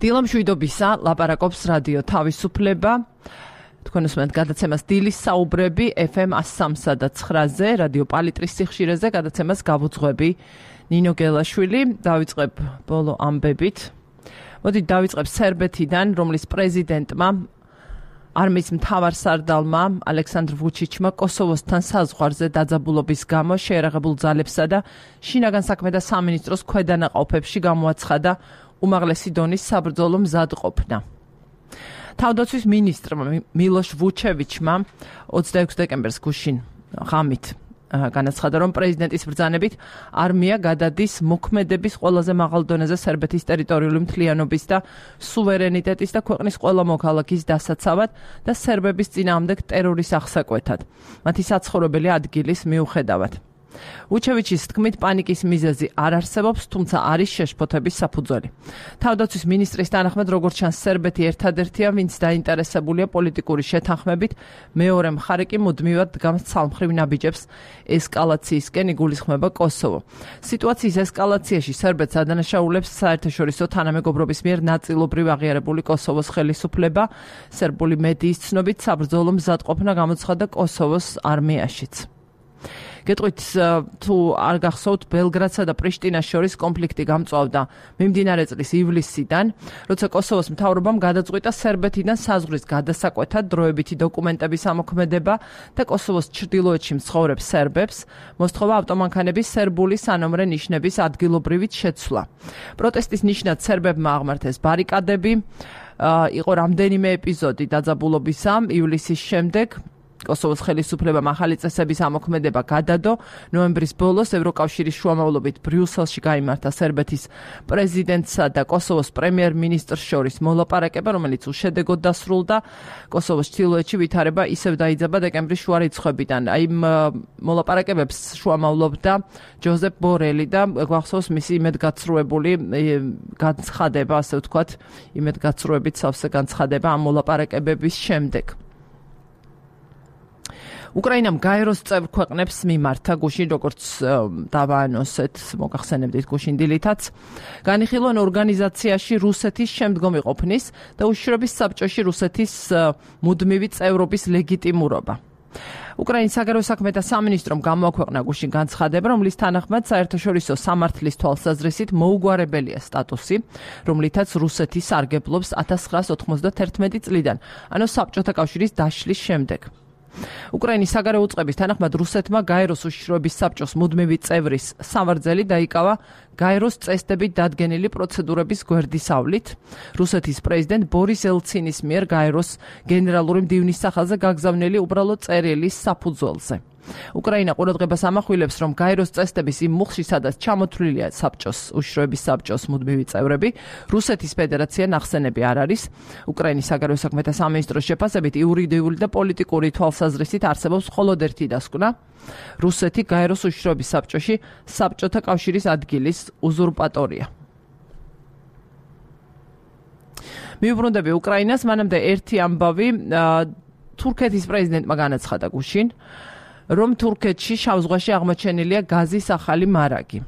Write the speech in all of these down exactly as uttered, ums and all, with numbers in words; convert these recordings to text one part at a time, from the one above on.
დილა მშვიდობისა, ლაპარაკობს რადიო თავისუფლება. თქვენ უსმენთ გადაცემას დილის საუბრები ეფ ემ one oh three და nine-ზე, რადიო პალიტრის სიხშირეზე, გადაცემას გავუძღვები ნინო გელაშვილი. დავიწყებ ბოლო ამბებით. მოდით დავიწყებ სერბეთიდან, რომლის პრეზიდენტმა არმიის მთავარსარდალმა ალექსანდრ ვუჩიჩმა კოსოვოსთან საზღვარზე დაძაბულობის გამო შეერაღებულ ძალებსა და შინაგან საქმეთა სამინისტროს ქვედანაყოფებში გამოაცხადა უმაღლესი დონის საბრძოლო მზადყოფნა. თავდაცვის მინისტრმა მილოშ ვუჩევიჩმა ოცდაექვსი დეკემბერს გუშინ ღამით განაცხადა, რომ პრეზიდენტის ბრძანებით არმია გადადის მოქმედების ყველაზე მაღალ დონეზე სერბეთის ტერიტორიული მთლიანობის და სუვერენიტეტის და ქვეყნის ყველა მოქალაქის დასაცავად და სერბების წინააღმდეგ ტერორის აღსაკვეთად, მათი საცხოვრებელი ადგილის მიუხედავად. ვუჩევიჩის თქმით, პანიკის მიზეზი არ არსებობს, თუმცა არის შეშფოთების საფუძველი. თავდაცვის მინისტრის თანახმად, როგორც ჩანს, სერბეთი ერთადერთია, ვინც დაინტერესებულია პოლიტიკური შეთანხმებით, მეორე მხარე კი მუდმივად დგამს ცალმხრივ ნაბიჯებს ესკალაციისკენ იგულისხმება კოსოვო. სიტუაციის ესკალაციაში სერბეთს ადანაშაულებს საერთაშორისო თანამეგობრობის მიერ ნაწილობრივ აღიარებული კოსოვოს ხელისუფლება. სერბული მედიის ცნობით, საბრძოლო მზადყოფნა გამოცხადა კოსოვოს არმიაშიც. გეტყვით, თუ არ გახსოვთ, ბელგრადსა და პრიშტინას შორის კონფლიქტი გამწვავდა მიმდინარე წლის ივლისიდან, როცა კოსოვოს მთავრობამ გადაწყვიტა სერბეთიდან საზღვრის გადასაკვეთად დროებითი დოკუმენტების ამოქმედება და კოსოვოს ჩრდილოეთში მცხოვრებ სერბებს მოსთხოვა ავტომანქანების სერბული სანომრე ნიშნების ადგილობრივით შეცვლა. პროტესტის ნიშნად სერბებმა აღმართეს ბარიკადები, იყო რამდენიმე ეპიზოდი დაძაბულობისა ივლისის შემდეგ. კოსოვოს ხელისუფლებამ ახალი წესების ამოქმედება გადადო. ნოემბრის ბოლოს ევროკავშირის შუამავლობით ბრიუსელში გაიმართა სერბეთის პრეზიდენტსა და კოსოვოს პრემიერ-მინისტრს შორის მოლაპარაკება, რომელიც უშედეგოდ დასრულდა. კოსოვოს ჩრდილოეთში ვითარება ისევ დაიძაბა დეკემბრის შუა რიცხვებიდან. აი მოლაპარაკებებს შუამავლობდა ჯოზეფ ბორელი და გვახსოვს მისი იმედგაცრუებული განცხადება, ასე ვთქვათ, იმედგაცრუებით სავსე განცხადება ამ მოლაპარაკებების შემდეგ. უკრაინამ გაეროს წევრ ქვეყნებს მიმართა გუშინ, როგორც დავაანონსეთ, მოგახსენებდით გუშინ დილითაც, განიხილონ ორგანიზაციაში რუსეთის შემდგომი ყოფნის და უშიშროების საბჭოში რუსეთის მუდმივი წევრობის ლეგიტიმურობა. უკრაინის საგარეო საქმეთა სამინისტრომ გამოაქვეყნა გუშინ განცხადება, რომლის თანახმად საერთაშორისო სამართლის თვალსაზრისით მოუგვარებელია სტატუსი, რომლითაც რუსეთი სარგებლობს ათას ცხრაასი ოთხმოცდათერთმეტი წლიდან, ანუ საბჭოთა კავშირის დაშლის შემდეგ. უკრაინის საგარეო უწყების თანახმად რუსეთმა გაეროს უშიშროების საბჭოს მუდმივი წევრის სამარძელი დაიკავა გაეროს წესდებით დადგენილი პროცედურების გვერდისავლით. რუსეთის პრეზიდენტ ბორის ელცინის მიერ გაეროს გენერალური მდივნის სახელზე გაგზავნილი უბრალო წერილის საფუძველზე. უკრაინა ყურადღებას ამახვილებს, რომ გაეროს წესდების იმ მუხლში, სადაც ჩამოთვლილია საბჭოს უშიშროების საბჭოს მუდმივი წევრები, რუსეთის ფედერაცია ნახსენები არ არის. უკრაინის საგარეო საქმეთა სამინისტროს შეფასებით იურიდიული და პოლიტიკური თვალსაზრისით არსებობს მხოლოდ ერთი დასკვნა: რუსეთი გაეროს უშიშროების საბჭოში საბჭოთა კავშირის ადგილის უზურპატორია. მიუბრუნდები უკრაინას, მანამდე ერთი ამბავი თურქეთის პრეზიდენტმა განაცხადა გუშინ, რომ თურქეთში შავ ზღვაში აღმოჩენილია გაზის ახალი მარაგი.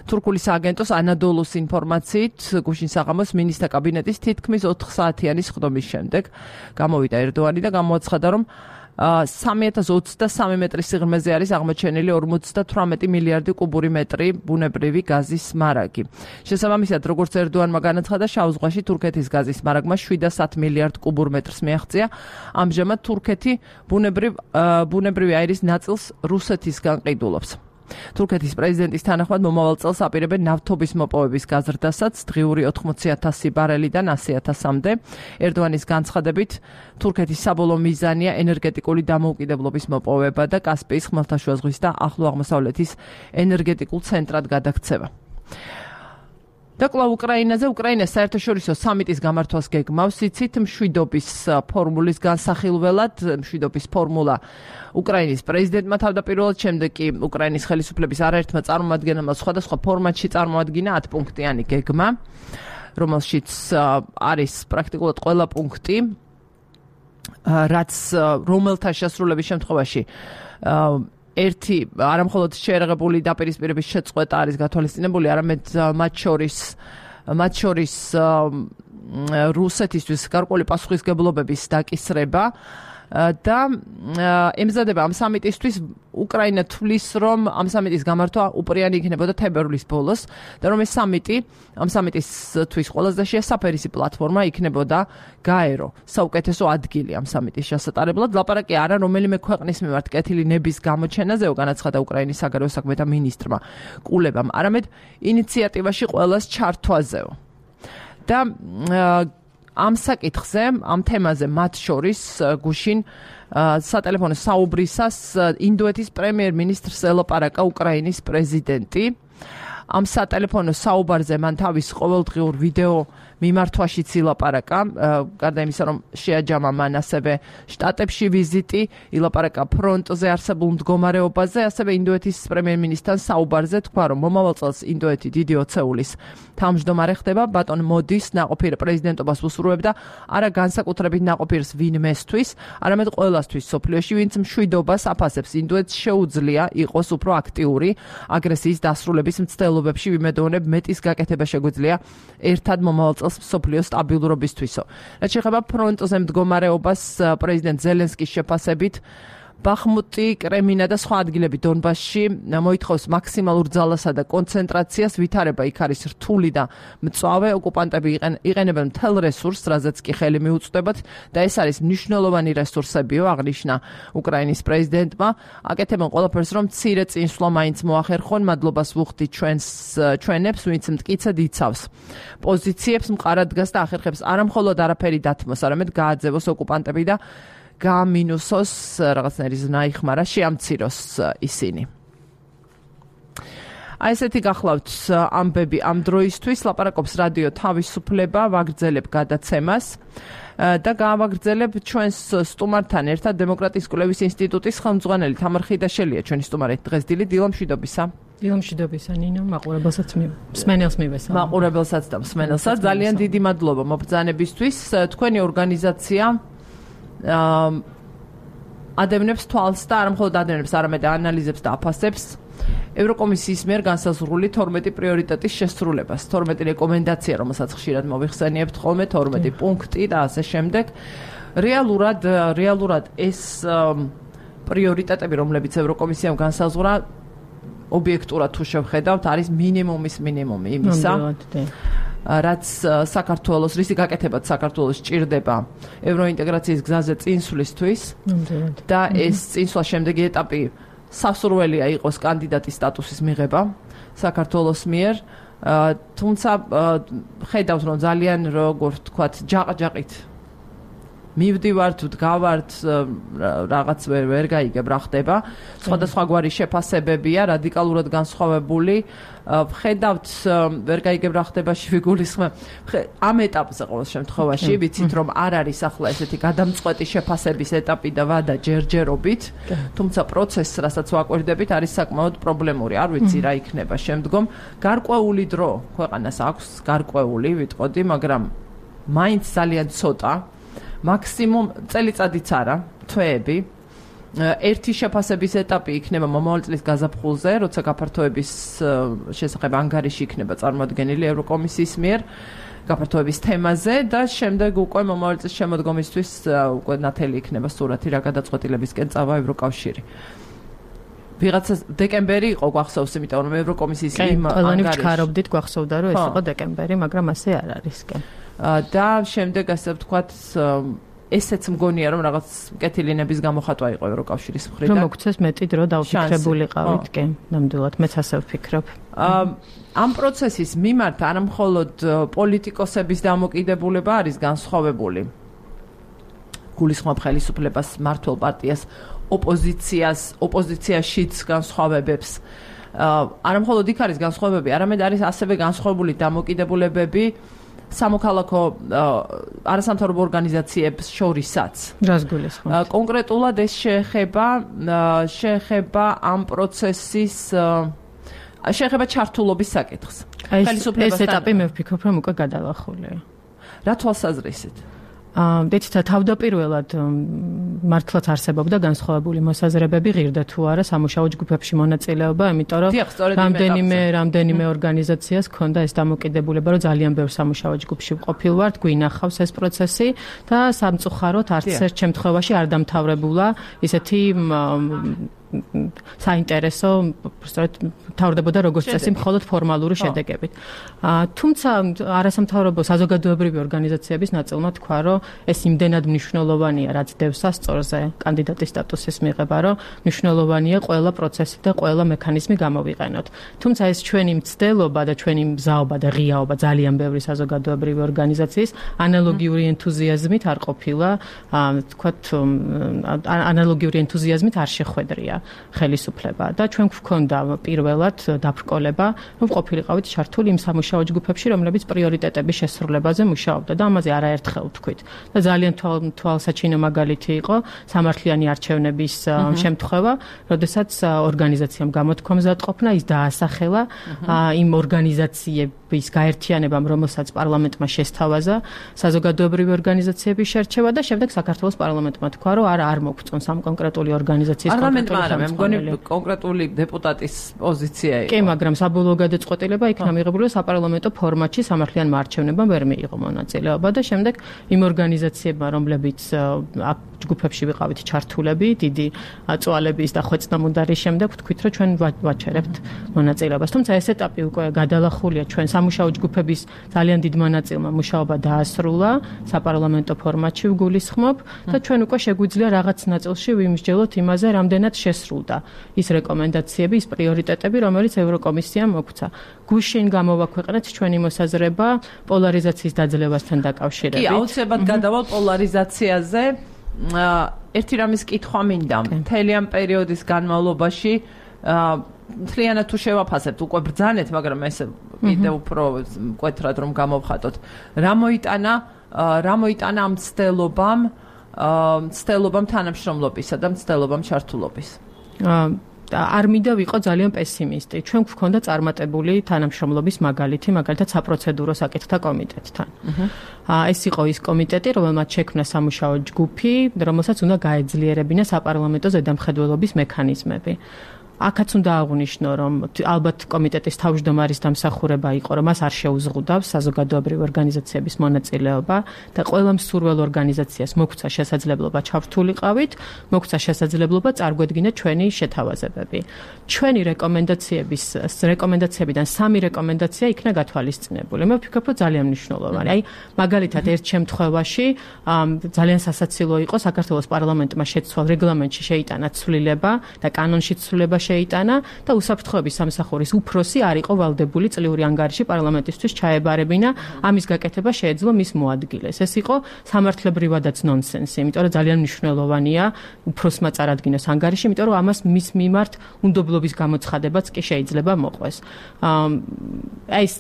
თურქული სააგენტოს ანადოლუს ინფორმაციით, გუშინ საღამოს მინისტრთა კაბინეტის თითქმის ოთხ საათიანი სხდომის შემდეგ გამოვიდა ერდოანი და გამოაცხადა, რომ სამი ათას ოცდასამი მეტრის სიღრმეზე არის აღმოჩენილი ორმოცდათვრამეტი მილიარდი კუბური მეტრი ბუნებრივი გაზის მარაგი. შესაბამისად, როგორც ერდოანმა განაცხადა, შავ ზღვაში თურქეთის გაზის მარაგმა შვიდას ათ მილიარდ კუბურ მეტრს მიაღწია. ამჟამად თურქეთი ბუნებრივ ბუნებრივი აირის ნაწილს რუსეთისგან ყიდულობს. თურქეთის პრეზიდენტის თანახმად მომავალ წელს აპირებენ ნავთობის მოპოვების გაზრდასაც დღიური ოთხმოცი ათასი ბარელიდან ასი ათასამდე. ერდოანის განცხადებით, თურქეთის საბოლოო მიზანია ენერგეტიკული დამოუკიდებლობის მოპოვება და კასპიის ხმელთაშუა ზღვის და ახლო აღმოსავლეთის ენერგეტიკულ ცენტრად გადაქცევა. და კვლავ უკრაინაზე, უკრაინას საერთაშორისო სამიტის გამართვას გეგმავს, იცით, მშვიდობის ფორმულის განსახილველად, მშვიდობის ფორმულა უკრაინის პრეზიდენტმა თავდაპირველად, შემდეგ კი უკრაინის ხელისუფლების არაერთმა წარმომადგენელმა სხვადასხვა ფორმატში წარმოადგინა ათპუნქტიანი გეგმა, რომელშიც არის პრაქტიკულად ყველა პუნქტი, რაც რომელთა შესრულების შემთხვევაში ერთი არამხოლოდ შეერაღებული დაპირისპირების შეწყვეტა არის გათვალისწინებული, არამედ მათ შორის მათ შორის რუსეთისთვის გარკვეული პასუხისგებლობების დაკისრება და ემზადება ამ სამიტისთვის უკრაინა თვლის, რომ ამ სამიტის გამართვა უპრიანი იქნებოდა თებერვლის ბოლოს და რომ ეს სამიტი, ამ სამიტისთვის ყველაზე შესაფერისი პლატფორმა იქნებოდა გაერო, საუკეთესო ადგილი ამ სამიტის შესატარებლად. ლაპარაკი არა რომელიმე ქვეყნის მიმართ კეთილი ნების გამოჩენაზეო, განაცხადა უკრაინის საგარეო საქმეთა მინისტრმა კულებამ, არამედ ინიციატივაში ყველას ჩართვაზეო. და ამ საკითხზე, ამ თემაზე მათ შორის გუშინ სატელეფონო საუბრისას ინდოეთის პრემიერ-მინისტრს ელაპარაკა უკრაინის პრეზიდენტი. ამ სატელეფონო საუბარზე მან თავის ყოველდღიურ ვიდეო მიმართვაშიც ილაპარაკა, გარდა იმისა, რომ შეაჯამა მან ასევე შტატებში ვიზიტი, ილაპარაკა ფრონტზე არსებულ მდგომარეობაზე, ასევე ინდოეთის პრემიერ-მინისტრთან საუბარზე თქვა, რომ მომავალ წელს ინდოეთი დიდი ოცეულის თავმჯდომარე ხდება, ბატონ მოდის ნაყოფიერ პრეზიდენტობას უსურვებდა, არა განსაკუთრებით ნაყოფიერს ვინმესთვის, არამედ ყველასთვის სოფლიოში, ვინც მშვიდობას აფასებს. ინდოეთს შეუძლია იყოს უფრო აქტიური აგრესიის დასრულების მცდელობებში, ვიმედოვნებ მეტის გაკეთება შეგვიძლია ერთად მომავალ წელს სოფლიოს სტაბილურობისთვისო. რაც შეეხება ფრონტზე მდგომარეობას, პრეზიდენტ ზელენსკის შეფასებით ბახმუტი, კრემინა და სხვა ადგილები დონბასში მოითხოვს მაქსიმალურ ძალასა და კონცენტრაციას, ვითარება იქ არის რთული და მწვავე, ოკუპანტები იყენებენ მთელ რესურსს, რაზეც კი ხელი მიუწვდებათ და ეს არის მნიშვნელოვანი რესურსებიო, აღნიშნა უკრაინის პრეზიდენტმა. აკეთებენ ყველაფერს, რომ მცირე წინსვლა მაინც მოახერხონ, მადლობას ვუხდი ჩვენს ჩვენებს, ვინც მტკიცედ იცავს პოზიციებს, მყარად დგას და ახერხებს არამხოლოდ არაფერი დათმოს, არამედ გააძევოს ოკუპანტები და გაამინუსოს რაღაცნაირი ზნაიხმარა, შეამციროს ისინი. აი ესეთი გახლავთ ამბები ამ დროისთვის, ლაპარაკობს რადიო თავისუფლება, ვაგრძელებ გადაცემას და გავაგრძელებ ჩვენს სტუმართან ერთად დემოკრატიის კვლევის ინსტიტუტის ხელმძღვანელი თამარ ხიდაშელია ჩვენი სტუმარი დღეს. დილით, დილო მშვიდობისა. დილო მშვიდობისა, ნინო, მაყურებელსაც მსმენელს მივესალმე. მაყურებელსაც და მსმენელსაც ძალიან დიდი მადლობა მობრძანებისთვის. თქვენი ორგანიზაცია ადევნებს თვალს და არა მხოლოდ ადევნებს, არამედ ანალიზებს და აფასებს ევროკომისიის მიერ განსაზღვრული თორმეტი პრიორიტეტის შესრულებას, თორმეტი რეკომენდაცია, რომელსაც ხშირად მოვიხსენიებთ ხოლმე, თორმეტი პუნქტი და ასე შემდეგ. რეალურად, რეალურად ეს პრიორიტეტები, რომლებიც ევროკომისიამ განსაზღვრა, ობიექტურად თუ შევხედავთ, არის მინიმუმის მინიმუმი იმისა. რაც საქართველოს, რისი გაკეთებაც საქართველოს ჭირდება ევროინტეგრაციის გზაზე წინსვლისთვის და ეს წინსვლა შემდეგი ეტაპი სასურველია იყოს კანდიდატის სტატუსის მიღება საქართველოს მიერ, თუმცა ხედავთ, რომ ძალიან როგორ ვთქვათ, ჯაყ-ჯაყით მივდივართ, ვდგავართ, რაღაც ვერ ვერ გაიგებ რა ხდება. სხვადასხვაგვარი შეფასებებია, რადიკალურად განსხვავებული. ვხედავთ, ვერ გაიგებ რა ხდება შევიგულისხმებ. ამ ეტაპზე ყოველ შემთხვევაში ვიცით, რომ არ არის ახლა ესეთი გადამწყვეტი შეფასების ეტაპი და ვადა ჯერჯერობით, თუმცა პროცესს, რასაც ვაკვირდებით, არის საკმაოდ პრობლემური. არ ვიცი რა იქნება შემდგომ. გარკვეული დრო ქვეყანას აქვს, გარკვეული ვიტყოდი, მაგრამ მაინც ძალიან ცოტა. მაქსიმუმ წელიწადიც არა, თვეები. ერთი შეფასების ეტაპი იქნება მომავალ წლის გაზაფხულზე, როცა გაფართოების შესახებ ანგარიში იქნება წარმოადგენილი ევროკომისიის მიერ გაფართოების თემაზე და შემდეგ უკვე მომავალ წლის შემოდგომისთვის უკვე ნათელი იქნება სურათი რა გადაწყვეტილებისკენ წავა ევროკავშირი. ვიღაცა დეკემბერი იყო გვახსოვს, იმიტომ რომ ევროკომისიის იმ ანგარიში. ყველანი ვჩქარობდით გვახსოვდა, რომ ეს იყო დეკემბერი, მაგრამ ასე არ არის კი. და შემდეგ ასე ვთქვათ, ესეც მგონია, რომ რაღაც კეთილინების გამოხატვა იყო ევროკავშირის მხრიდან. რომ მოგცეს მეტი დრო დავფიქრებულიყავით, კი, ნამდვილად, მეც ასე ვფიქრობ. ამ პროცესის მიმართ არა მხოლოდ პოლიტიკოსების დამოკიდებულება არის განსხვავებული. გულისხმობ ხელისუფლებას, მმართველ პარტიას, ოპოზიციას, ოპოზიციაშიც განსხვავებებს. არა მხოლოდ იქ არის განსხვავებები, არამედ არის ასევე განსხვავებული დამოკიდებულებები სამოქალაქო არასამთავრობო ორგანიზაციებს შორისაც. რას გულისხმობთ? კონკრეტულად ეს შეეხება შეეხება ამ პროცესის შეეხება ჩართულობის საკითხს. ხელისუფლებასთან ეს ეტაპი მე ვფიქრობ, რომ უკვე გადალახულია. რა თვალსაზრისით? აა, დეცით თავდაპირველად მართლაც არსებობდა განსხვავებული მოსაზრებები ღირდა თუ არა სამუშაო ჯგუფებში მონაწილეობა, იმიტომ რომ რამდენიმე რამდენიმე ორგანიზაციას ჰქონდა ეს დამოკიდებულება, რომ ძალიან ბევრ სამუშაო ჯგუფში ვყოფილვართ, გვინახავს ეს პროცესი და სამწუხაროდ არც ერთ შემთხვევაში არ დამთავრებულა ისეთი საინტერესო, სწორედ თავდებოდა როგორც წესი მხოლოდ ფორმალური შედეგებით. თუმცა არასამთავრობო საზოგადოებრივი ორგანიზაციების ნაწილმა თქვა, რომ ეს იმდენად მნიშვნელოვანია, რაც დევს ასწორზე კანდიდატის სტატუსის მიღება, რომ მნიშვნელოვანია ყველა პროცესი და ყველა მექანიზმი გამოვიყენოთ. თუმცა ეს ჩვენი მცდელობა და ჩვენი მზაობა და ღიაობა ძალიან ბევრი საზოგადოებრივი ორგანიზაციის ანალოგიური ენთუზიაზმით არ ყოფილა, თქვათ, ანალოგიური ენთუზიაზმით არ შეხვედრია ხელისუფლება და ჩვენ გვქონდა პირველად დაბრკოლება, რომ ყოფილიყავით ჩართული იმ სამუშაო ჯგუფებში, რომლებიც პრიორიტეტების შესრულებაზე მუშაობდა და ამაზე არაერთხელ ვთქვით. და ძალიან თვალსაჩინო მაგალითი იყო სამართლიანი არჩევნების შემთხვევა, როდესაც ორგანიზაციამ გამოთქვა მზადყოფნა, ის დაასახელა იმ ორგანიზაციების გაერთიანებამ, რომელსაც პარლამენტმა შესთავაზა საზოგადოებრივი ორგანიზაციების შერჩევა და შემდეგ საქართველოს პარლამენტმა თქვა, რომ არა არ მოგწონს ამ კონკრეტული ორგანიზაციის კონკრეტული მე მგონი კონკრეტული დეპუტატის პოზიცია იყო. კი, მაგრამ საბოლოო გადაწყვეტილება იქნა მიღებული საპარლამენტო ფორმატში სამართლიან არჩევნებამ ვერ მიიღო მონაწილეობა და შემდეგ იმ ორგანიზაციებმა, რომლებიც ჯგუფებში ვიყავით ჩართულები, დიდი წვალების და ხვეწნამუდარის შემდეგ ვთქვით, რომ ჩვენ ვაჩერებთ მონაწილეობას. თუმცა ეს ეტაპი უკვე გადალახულია, ჩვენ სამუშაო ჯგუფების ძალიან დიდ მონაწილმა მუშაობა დაასრულა საპარლამენტო ფორმატში ვგულისხმობ და ჩვენ უკვე შეგვიძლია რაღაც ნაწილში ვიმსჯელოთ იმაზე, რამდენად შესრულდა ის რეკომენდაციები, ის პრიორიტეტები, რომელიც ევროკომისიამ მოგვცა. გუშინ გამოვაქვეყნეთ ჩვენი მოსაზრება პოლარიზაციის დაძლევასთან დაკავშირებით. კი, აუცილებლად გადავალ პოლარიზაციაზე. ერთი რამის კითხვა მინდა. მთელი ამ პერიოდის განმავლობაში მთლიანად თუ შევაფასებთ, უკვე ბრძანეთ, მაგრამ ეს კიდევ უფრო მკვეთრად რომ გამოვხატოთ. რა მოიტანა, რა მოიტანა ამ ცდელობამ, ცდელობამ თანამშრომლობისა და ცდელობამ ჩართულობის? არ მინდა ვიყო ძალიან პესიმისტი. ჩვენ გვქონდა წარმატებული თანამშრომლობის მაგალითი, მაგალითად საპროცედურო საკითხთა კომიტეტთან. ეს იყო ის კომიტეტი, რომელმაც შექმნა სამუშაო ჯგუფი, რომელსაც უნდა გაეძლიერებინა საპარლამენტო ზედამხედველობის მექანიზმები. აქაც უნდა აღვნიშნო, რომ ალბათ კომიტეტის თავმჯდომარის დამსახურება იყო, რომ მას არ შეუზღუდავს საზოგადოებრივი ორგანიზაციების მონაწილეობა და ყველა მსურველ ორგანიზაციას მოგვცა შესაძლებლობა ჩართულიყავით, მოგვცა შესაძლებლობა წარგვედგინა ჩვენი შეთავაზებები. ჩვენი რეკომენდაციების რეკომენდაციებიდან სამი რეკომენდაცია იქნა გათვალისწინებული. მე ვფიქრობ, რომ ძალიან მნიშვნელოვანი. აი, მაგალითად, ერთ შემთხვევაში ძალიან სასაცილო იყო საქართველოს პარლამენტმა შეცვალა რეგლამენტში შეიტანა ცვლილება და კანონში ცვლილება შეიტანა და უსაფრთხოების სამსახურის უფროსი არ იყო ვალდებული წლიური ანგარიში პარლამენტისთვის ჩაებარებინა, ამის გაკეთება შეეძლო მის მოადგილეს. ეს იყო სამართლებრივადაც ნონსენსი, იმიტომ რომ ძალიან მნიშვნელოვანია უფროსმა წარადგინოს ანგარიში, იმიტომ რომ ამას მის მიმართ უნდობლობის გამოცხადებაც კი შეიძლება მოყვეს. აი ეს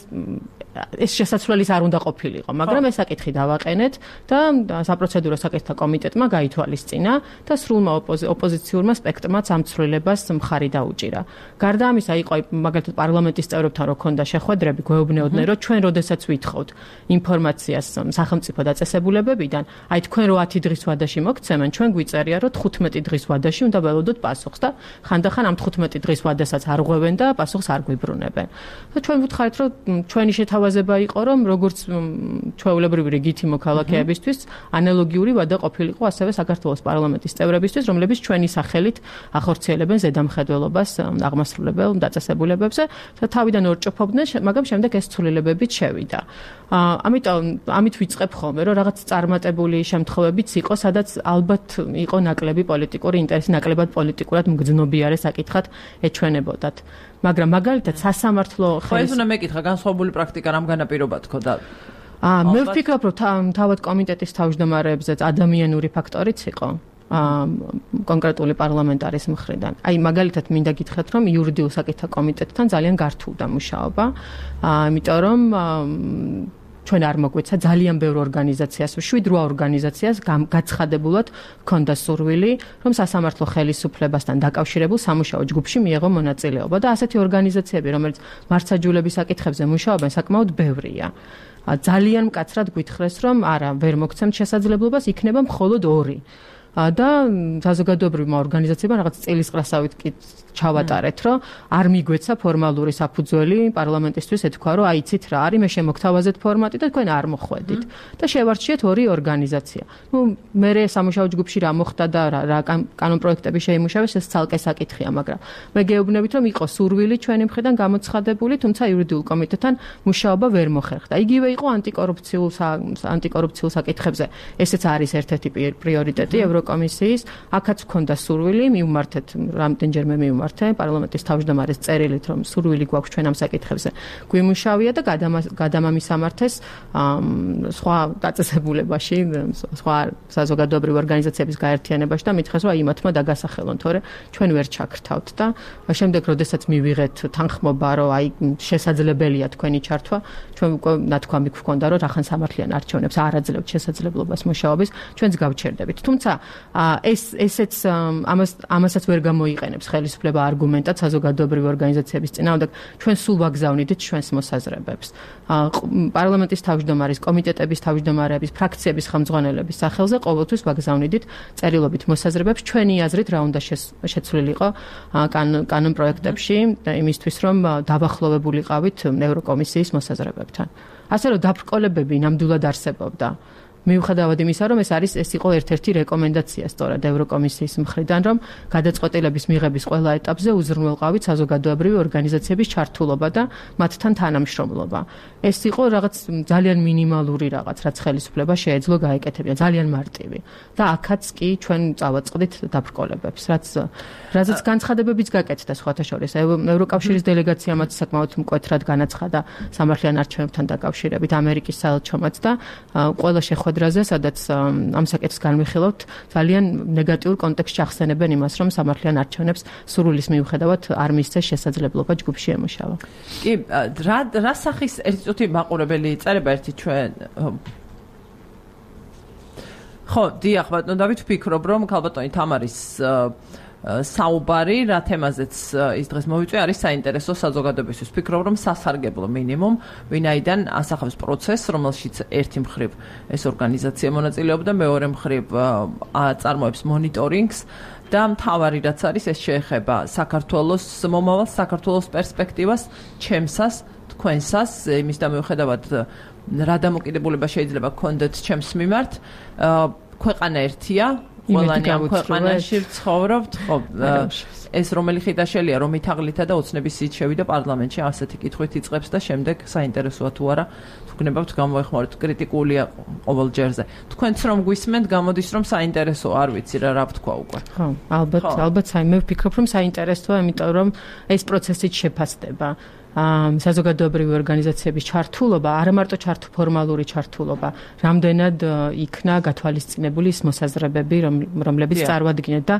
ეს შესაძლებლის არ უნდა ყოფილიყო, მაგრამ ეს საკითხი დავაყენეთ და საპროცედურო საკითხთა კომიტეტმა გაითვალისწინა და სრულმა ოპოზიციურმა სპექტრმაც ამ ცვლილებას მხარი დაუჭირა. გარდა ამისა, იყო მაგალითად პარლამენტის წევრებთან რო ქონდა შეხვედრები, გვეუბნეოდნენ, რომ ჩვენ როდესაც ვითხოვთ ინფორმაციას სახელმწიფო დაწესებულებებიდან, აი თქვენ რო ათი დღის ვადაში მოგცემენ, ჩვენ გვიწერია, რომ თხუთმეტი დღის ვადაში უნდა ველოდოთ პასუხს და ხანდახან ამ თხუთმეტი დღის ვადასაც არ ღვევენ და პასუხს არ გვიბრუნებენ. და ჩვენ ვუთხარით, რომ ჩვენი შეთავაზება იყო, რომ როგორც ჩვეულებრივი რიგითი მოქალაქეებისთვის ანალოგიური ვადა ყოფილიყო ასევე საქართველოს პარლამენტის წევრებისთვის, რომლებიც ჩვენი სახელით ახორციელებენ ზედამხედველობას აღმასრულებელ დაწესებულებებზე და თავიდან ორჭოფობდნენ, მაგრამ შემდეგ ეს ცვლილებებიც შევიდა. ამიტომ ამით ვიწყებ ხოლმე, რომ რაღაც წარმატებული შემთხვევებიც იყო, სადაც ალბათ იყო ნაკლები პოლიტიკური ინტერესი, ნაკლებად პოლიტიკურად მგრძნობიარე საკითხად ეჩვენებოდათ. მაგრამ მაგალითად სასამართლო ხელის უნდა მეკითხა განსხვავებული პრაქტიკა რამ განაპირობა თქო და აა მე ვფიქრობ, რომ თავად კომიტეტის თავმჯდომარეებზეც ადამიანური ფაქტორიც იყო. კონკრეტული პარლამენტარის მხრიდან. აი მაგალითად მინდა გითხრათ, რომ იურიდიულ საკითხთა კომიტეტთან ძალიან გართულდა მუშაობა, იმიტომ რომ ჩვენ არ მოგვეცა ძალიან ბევრ ორგანიზაციას, შვიდ რვა ორგანიზაციას გაცხადებულად ჰქონდა სურვილი, რომ სასამართლო ხელისუფლებასთან დაკავშირებულ სამუშაო ჯგუფში მიეღო მონაწილეობა და ასეთი ორგანიზაციები, რომელიც მართლმსაჯულების საკითხებზე მუშაობენ, საკმაოდ ბევრია. ძალიან მკაცრად გვითხრეს, რომ არა, ვერ მოგცემთ შესაძლებლობას, იქნება მხოლოდ ორი. და საზოგადოებრივმა ორგანიზაციებმა რაღაც წელისყრასავით კი ჩავატარეთ, რომ არ მიგვეცა ფორმალური საფუძველი პარლამენტისთვის ეთქვა, რომ აიცით რა არის, მე შემოგთავაზეთ ფორმატი და თქვენ არ მოხვედით და შევარჩიეთ ორი ორგანიზაცია. ნუ მე სამუშაო ჯგუფში რა მოხდა და რა კანონპროექტები შეიმუშავეს, ეს ცალკე საკითხია, მაგრამ მე გეუბნებით, რომ იყო სურვილი ჩვენი მხრიდან გამოცხადებული, თუმცა იურიდიულ კომიტეტთან მუშაობა ვერ მოხერხდა. იგივე იყო ანტიკორუფციულ ანტიკორუფციულ საკითხებზე. ესეც არის ერთ-ერთი პრიორიტეტი ევროკომისიის. აქაც ჰქონდა სურვილი, მივმართეთ რამდენჯერმე მივმართე პარლამენტის თავმჯდომარეს წერილით, რომ სურვილი გვაქვს ჩვენ ამ საკითხებზე. გვიმუშავია და გადამამისამართეს სხვა დაწესებულებაში, სხვა საზოგადოებრივ ორგანიზაციების გაერთიანებაში და მითხრეს, რომ იმათმა დაგასახელონ, თორე ჩვენ ვერ ჩაქრთავთ და შემდეგ, როდესაც მივიღეთ თანხმობა, რომ აი შესაძლებელია თქვენი ჩართვა, ჩვენ უკვე ნათქვამი გვქონდა, რომ რახან სამართლიან არჩევნებს არ აძლევთ შესაძლებლობას მუშაობის, ჩვენც გავჩერდებით. თუმცა ეს ესეც ამას ამასაც ვერ გამოიყენებს ხელისუფლება არგუმენტად საზოგადოებრივი ორგანიზაციების წინააღმდეგ. ჩვენ სულ ვაგზავნიდით ჩვენს მოსაზრებებს. პარლამენტის თავმჯდომარის, კომიტეტების თავმჯდომარეების, ფრაქციების ხელმძღვანელების სახელზე ყოველთვის ვაგზავნიდით წერილობით მოსაზრებებს. ჩვენი აზრით რა უნდა შეცვლილიყო კანონპროექტებში იმისთვის, რომ დავახლოვებულიყავით ევროკომისიის მოსაზრებებთან. ასე რომ დაბრკოლებები ნამდვილად არსებობდა. მიუხედავად იმისა, რომ ეს არის ეს იყო ერთ-ერთი რეკომენდაცია სწორად ევროკომისიის მხრიდან, რომ გადაწყვეტილების მიღების ყველა ეტაპზე უზრუნველყავით საზოგადოებრივი ორგანიზაციების ჩართულობა და მათთან თანამშრომლობა. ეს იყო რაღაც ძალიან მინიმალური რაღაც, რაც ხელისუფლება შეეძლო გაეკეთებინა, ძალიან მარტივი. და აქაც კი ჩვენ წავაწყდით დაბრკოლებებს, რაც რაზეც განცხადებებიც გაკეთდა სხვათა შორის. ევროკავშირის დელეგაციამაც საკმაოდ მკვეთრად განაცხადა სამართლიან არჩევნებთან დაკავშირებით ამერიკის საელჩომაც და ყველა შეხვედრაზე, სადაც ამ საკითხს განვიხილავთ, ძალიან ნეგატიურ კონტექსტში ახსენებენ იმას, რომ სამართლიან არჩევნებს სურვილის მიუხედავად არ მისცეს შესაძლებლობა ჯგუფში ემუშავა. კი, რა რა სახის ერთი წუთი მაყურებელი წერება ერთი ჩვენ ხო, დიახ, ბატონო დავით, ვფიქრობ, რომ ქალბატონი თამარის საუბარი, რა თემაზეც ის დღეს მოვიწვი, არის საინტერესო საზოგადოებისთვის. ვფიქრობ, რომ სასარგებლო მინიმუმ, ვინაიდან ასახავს პროცესს, რომელშიც ერთი მხრივ ეს ორგანიზაცია მონაწილეობდა, მეორე მხრივ აწარმოებს მონიტორინგს და მთავარი რაც არის, ეს შეეხება საქართველოს მომავალს, საქართველოს პერსპექტივას, ჩემსას, თქვენსას, იმის და მიუხედავად რა დამოკიდებულება შეიძლება გქონდეთ ჩემს მიმართ, ქვეყანა ერთია, ყველანი ამ ქვეყანაში ვცხოვრობთ, ხო, ეს რომელი ხიდაშელია, რომ ითაღლითა და ოცნების სიით შევიდა პარლამენტში, ასეთი კითხვით იწყებს და შემდეგ საინტერესოა თუ არა, თუ გნებავთ გამოეხმაროთ, კრიტიკულია ყოველ ჯერზე. თქვენც რომ გვისმენთ, გამოდის რომ საინტერესო, არ ვიცი რა რა ვთქვა უკვე. ხო, ალბათ, ალბათ, მე ვფიქრობ, რომ საინტერესოა, იმიტომ რომ ეს პროცესიც შეფასდება. საზოგადოებრივი ორგანიზაციების ჩართულობა, არა მარტო ჩართ ფორმალური ჩართულობა, რამდენად იქნა გათვალისწინებული ის მოსაზრებები, რომლებიც წარმოადგენთ და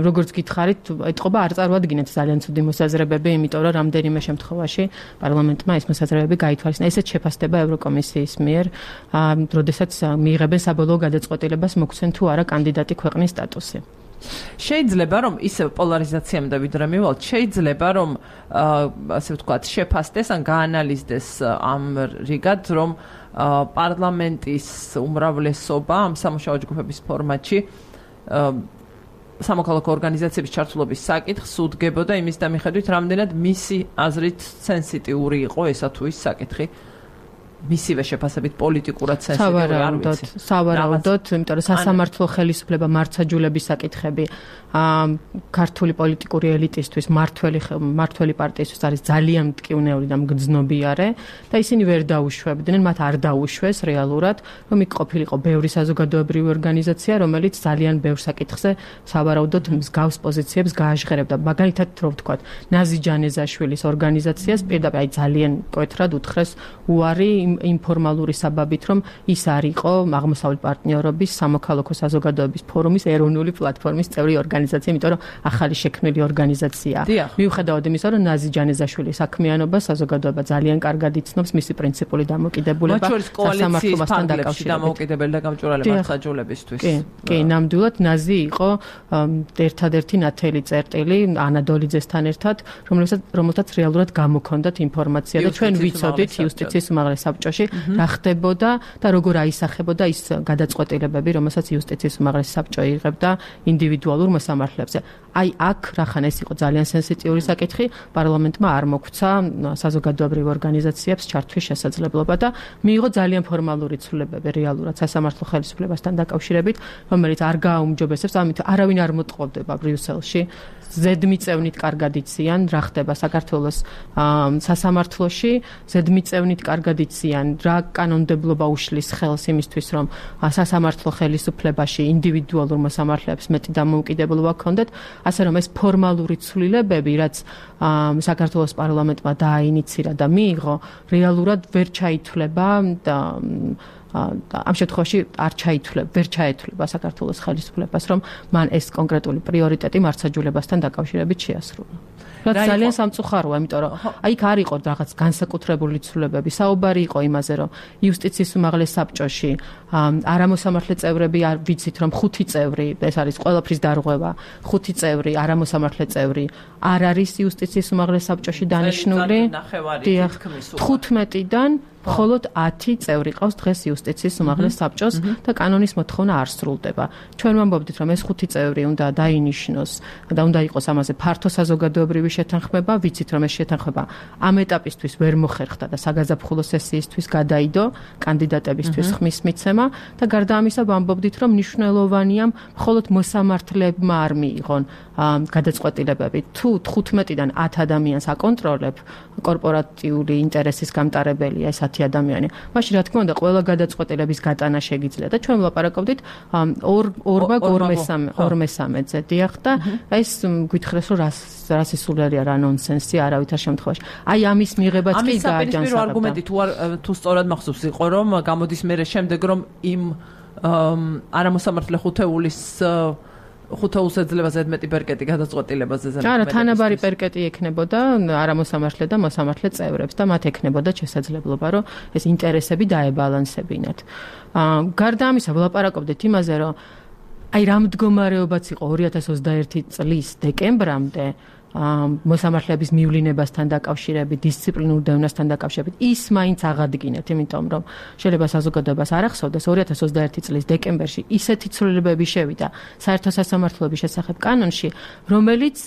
როგორც გითხარით, ეთყობა არ წარმოადგენთ ძალიან ცუდი მოსაზრებები, იმიტომ რომ რამდენიმე შემთხვევაში პარლამენტმა ეს მოსაზრებები გაითვალისწინა. ესეც შეფასდება ევროკომისიის მიერ, როდესაც მიიღებენ საბოლოო გადაწყვეტილებას მოგცემ თუ არა კანდიდატი ქვეყნის სტატუსი. შეიძლება რომ ისევ პოლარიზაციამ და ვიდრე მივალთ, შეიძლება რომ ასე ვთქვათ, შეფასდეს ან გაანალიზდეს ამ რიგად, რომ პარლამენტის უმრავლესობა ამ სამუშაო ჯგუფების ფორმატში სამოქალაქო ორგანიზაციების ჩართულობის საკითხს უდგებოდა იმის და მიხედვით, რამდენად მისი აზრით სენსიტიური იყო ესა თუ ის საკითხი. მისივე შეფასებით პოლიტიკურად სენსიტიური არ ვიცი. სავარაუდოდ, იმიტომ რომ სასამართლო ხელისუფლება მართლმსაჯულების საკითხები ქართული პოლიტიკური ელიტისთვის, მართველი მართველი პარტიისთვის არის ძალიან მტკივნეული და მგრძნობიარე და ისინი ვერ დაუშვებდნენ, მათ არ დაუშვეს რეალურად, რომ იქ ყოფილიყო ბევრი საზოგადოებრივი ორგანიზაცია, რომელიც ძალიან ბევრ საკითხზე სავარაუდოდ მსგავს პოზიციებს გააჟღერებდა. მაგალითად, რო ვთქვათ, ნაზი ჯანეზაშვილის ორგანიზაციას პირდაპირ აი ძალიან მკვეთრად უთხრეს უარი ინფორმალური საბაბით, რომ ის არ იყო აღმოსავლეთ პარტნიორობის სამოქალაქო საზოგადოების ფორუმის ეროვნული პლატფორმის წევრი ორგანიზაცია, იმიტომ რომ ახალი შექმნილი ორგანიზაციაა. მიუხედავად იმისა, რომ ნაზი ჯანეზაშვილის საქმიანობა საზოგადოება ძალიან კარგად იცნობს, მისი პრინციპული დამოკიდებულება სასამართლოსთან დაკავშირებით. დამოკიდებელი და გამჭვირვალე მართლმსაჯულებისთვის. კი, კი, ნამდვილად ნაზი იყო ერთადერთი ნათელი წერტილი ანა დოლიძესთან ერთად, რომელსაც რომელთაც რეალურად გამოქონდათ ინფორმაცია და ჩვენ ვიცოდით იუსტიციის უმაღლეს საბჭოში რა ხდებოდა და როგორ აისახებოდა ის გადაწყვეტილებები, რომელსაც იუსტიციის უმაღლესი საბჭო იღებდა ინდივიდუალურ მოსამართლეებზე. აი აქ რახან ეს იყო ძალიან სენსიტიური საკითხი, პარლამენტმა არ მოგვცა საზოგადოებრივ ორგანიზაციებს ჩართვის შესაძლებლობა და მიიღო ძალიან ფორმალური ცვლილებები რეალურად სასამართლო ხელისუფლებასთან დაკავშირებით, რომელიც არ გააუმჯობესებს, ამით არავინ არ მოტყობდება ბრიუსელში. ზედმიწევნით კარგად იციან რა ხდება საქართველოს სასამართლოში, ზედმიწევნით კარგად იციან რა კანონმდებლობა უშლის ხელს იმისთვის, რომ სასამართლო ხელისუფლებაში ინდივიდუალურ მოსამართლეებს მეტი დამოუკიდებლობა ჰქონდეთ, ასე რომ ეს ფორმალური ცვლილებები, რაც საქართველოს პარლამენტმა დააინიცირა და მიიღო, რეალურად ვერ ჩაითვლება და ამ შემთხვევაში არ ჩაითვლება, ვერ ჩაეთვლება საქართველოს ხელისუფლებას, რომ მან ეს კონკრეტული პრიორიტეტი მართლმსაჯულებასთან დაკავშირებით შეასრულა. რაც ძალიან სამწუხაროა, იმიტომ რომ აი იქ არ იყო რაღაც განსაკუთრებული ცვლილებები. საუბარი იყო იმაზე, რომ იუსტიციის უმაღლეს საბჭოში არამოსამართლე წევრები არ ვიცით, რომ ხუთი წევრი, ეს არის ყველაფრის დარღვევა, ხუთი წევრი, არამოსამართლე წევრი არ არის იუსტიციის უმაღლეს საბჭოში დანიშნული. თხუთმეტიდან მხოლოდ ათი წევრი ყავს დღეს იუსტიციის უმაღლეს საბჭოს და კანონის მოთხოვნა არ სრულდება. ჩვენ ვამბობდით, რომ ეს ხუთი წევრი უნდა დაინიშნოს და უნდა იყოს ამაზე ფართო საზოგადოებრივი შეთანხმება, ვიცით, რომ ეს შეთანხმება ამ ეტაპისთვის ვერ მოხერხდა და საგაზაფხულო სესიისთვის გადაიდო კანდიდატებისთვის ხმის მიცემა და გარდა ამისა ვამბობდით, რომ მნიშვნელოვანია მხოლოდ მოსამართლებმა არ მიიღონ გადაწყვეტილებები. თუ თხუთმეტიდან ათ ადამიანს აკონტროლებ, კორპორატიული ინტერესის გამტარებელია ეს ათი ადამიანი. მაშინ რა თქმა უნდა, ყველა გადაწყვეტილების გატანა შეგიძლია და ჩვენ ვლაპარაკობდით ორ ორმა ორმესამედზე დიახ და ეს გითხრეს, რომ რას ისულერია რა ნონსენსი არავითარ შემთხვევაში. აი ამის მიღებაც კი გააჯანსაღებდა. ამის არგუმენტი თუ თუ სწორად მახსოვს იყო, რომ გამოდის მერე შემდეგ, რომ იმ არამოსამართლე ხუთეულის ხუთეულს ეძლევა ზედმეტი პერკეტი გადაწყვეტილებაზე ზედმეტი. არა, თანაბარი პერკეტი ექნებოდა არამოსამართლე და მოსამართლე წევრებს და მათ ექნებოდა შესაძლებლობა, რომ ეს ინტერესები დაებალანსებინათ. გარდა ამისა, ვლაპარაკობდით იმაზე, რომ აი რა მდგომარეობაც იყო ორი ათას ოცდაერთი წლის დეკემბრამდე მოსამართლეების მივლინებასთან დაკავშირებით, დისციპლინურ დევნასთან დაკავშირებით, ის მაინც აღადგინეთ, იმიტომ რომ შეიძლება საზოგადოებას არ ახსოვდეს, ორი ათას ოცდაერთი წლის დეკემბერში ისეთი ცვლილებები შევიდა საერთო სასამართლოების შესახებ კანონში, რომელიც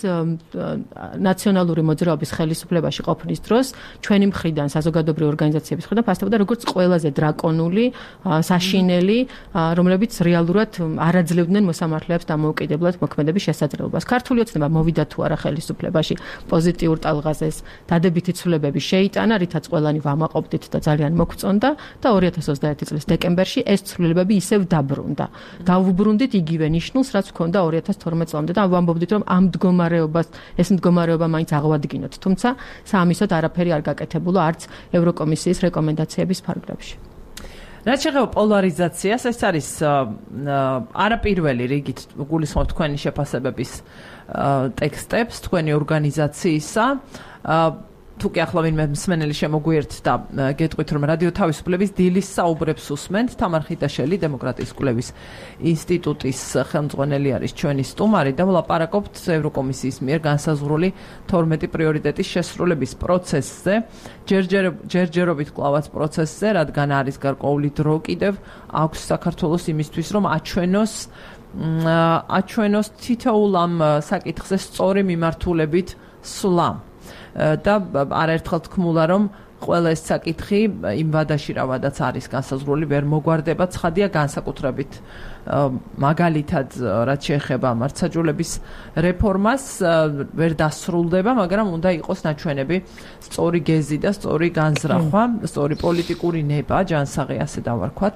ნაციონალური მოძრაობის ხელისუფლებაში ყოფნის დროს ჩვენი მხრიდან, საზოგადოებრივი ორგანიზაციების მხრიდან ფასდებოდა როგორც ყველაზე დრაკონული, საშინელი, რომლებიც რეალურად არ აძლევდნენ მოსამართლეებს დამოუკიდებლად მოქმედების შესაძლებლობას. ქართული ოცნება მოვიდა თუ არა ხელისუფლებაში უბლებში პოზიტიურ ტალღაზეს დადებითი ცვლილებები შეიტანა, რითაც ყველანი ვამაყობდით და ძალიან მოგწონდა და ორი ათას ოცდაერთი წლის დეკემბერში ეს ცვლილებები ისევ დაბრუნდა. დავუბრუნდით იგივე ნიშნულს, რაც ჰქონდა ორი ათას თორმეტ წლამდე და ვამბობდით, რომ ამ მდგომარეობას, ეს მდგომარეობა მაინც აღვადგინოთ, თუმცა საამისოდ არაფერი არ გაკეთებულა არც ევროკომისიის რეკომენდაციების ფარგლებში. რაც შეეხება პოლარიზაციას, ეს არის არაპირველი რიგით გულისხმობ თქვენი შეფასებების ტექსტებს, თქვენი ორგანიზაციისა. თუ კი ახლა ვინმე მსმენელი შემოგვიერთდა, გეტყვით, რომ რადიო თავისუფლების დილის საუბრებს უსმენთ. თამარ ხიტაშელი, დემოკრატიის კვლევის ინსტიტუტის ხელმძღვანელი არის ჩვენი სტუმარი და ვლაპარაკობთ ევროკომისიის მიერ განსაზღვრული თორმეტი პრიორიტეტის შესრულების პროცესზე, ჯერჯერობით კლავაც პროცესზე, რადგან არის გარკვეული დრო კიდევ აქვს საქართველოს იმისთვის, რომ აჩვენოს აჩვენოს თითოეულ ამ საკითხზე სწორი მიმართულებით სვლა. და არაერთხელ თქმულა, რომ ყველა ეს საკითხი იმ ვადაში რა ვადაც არის განსაზღვრული ვერ მოგვარდება, ცხადია განსაკუთრებით მაგალითად რაც შეეხება მართლმსაჯულების რეფორმას ვერ დასრულდება, მაგრამ უნდა იყოს ნაჩვენები სწორი გეზი და სწორი განზრახვა, სწორი პოლიტიკური ნება, ჯანსაღი ასე დავარქვათ.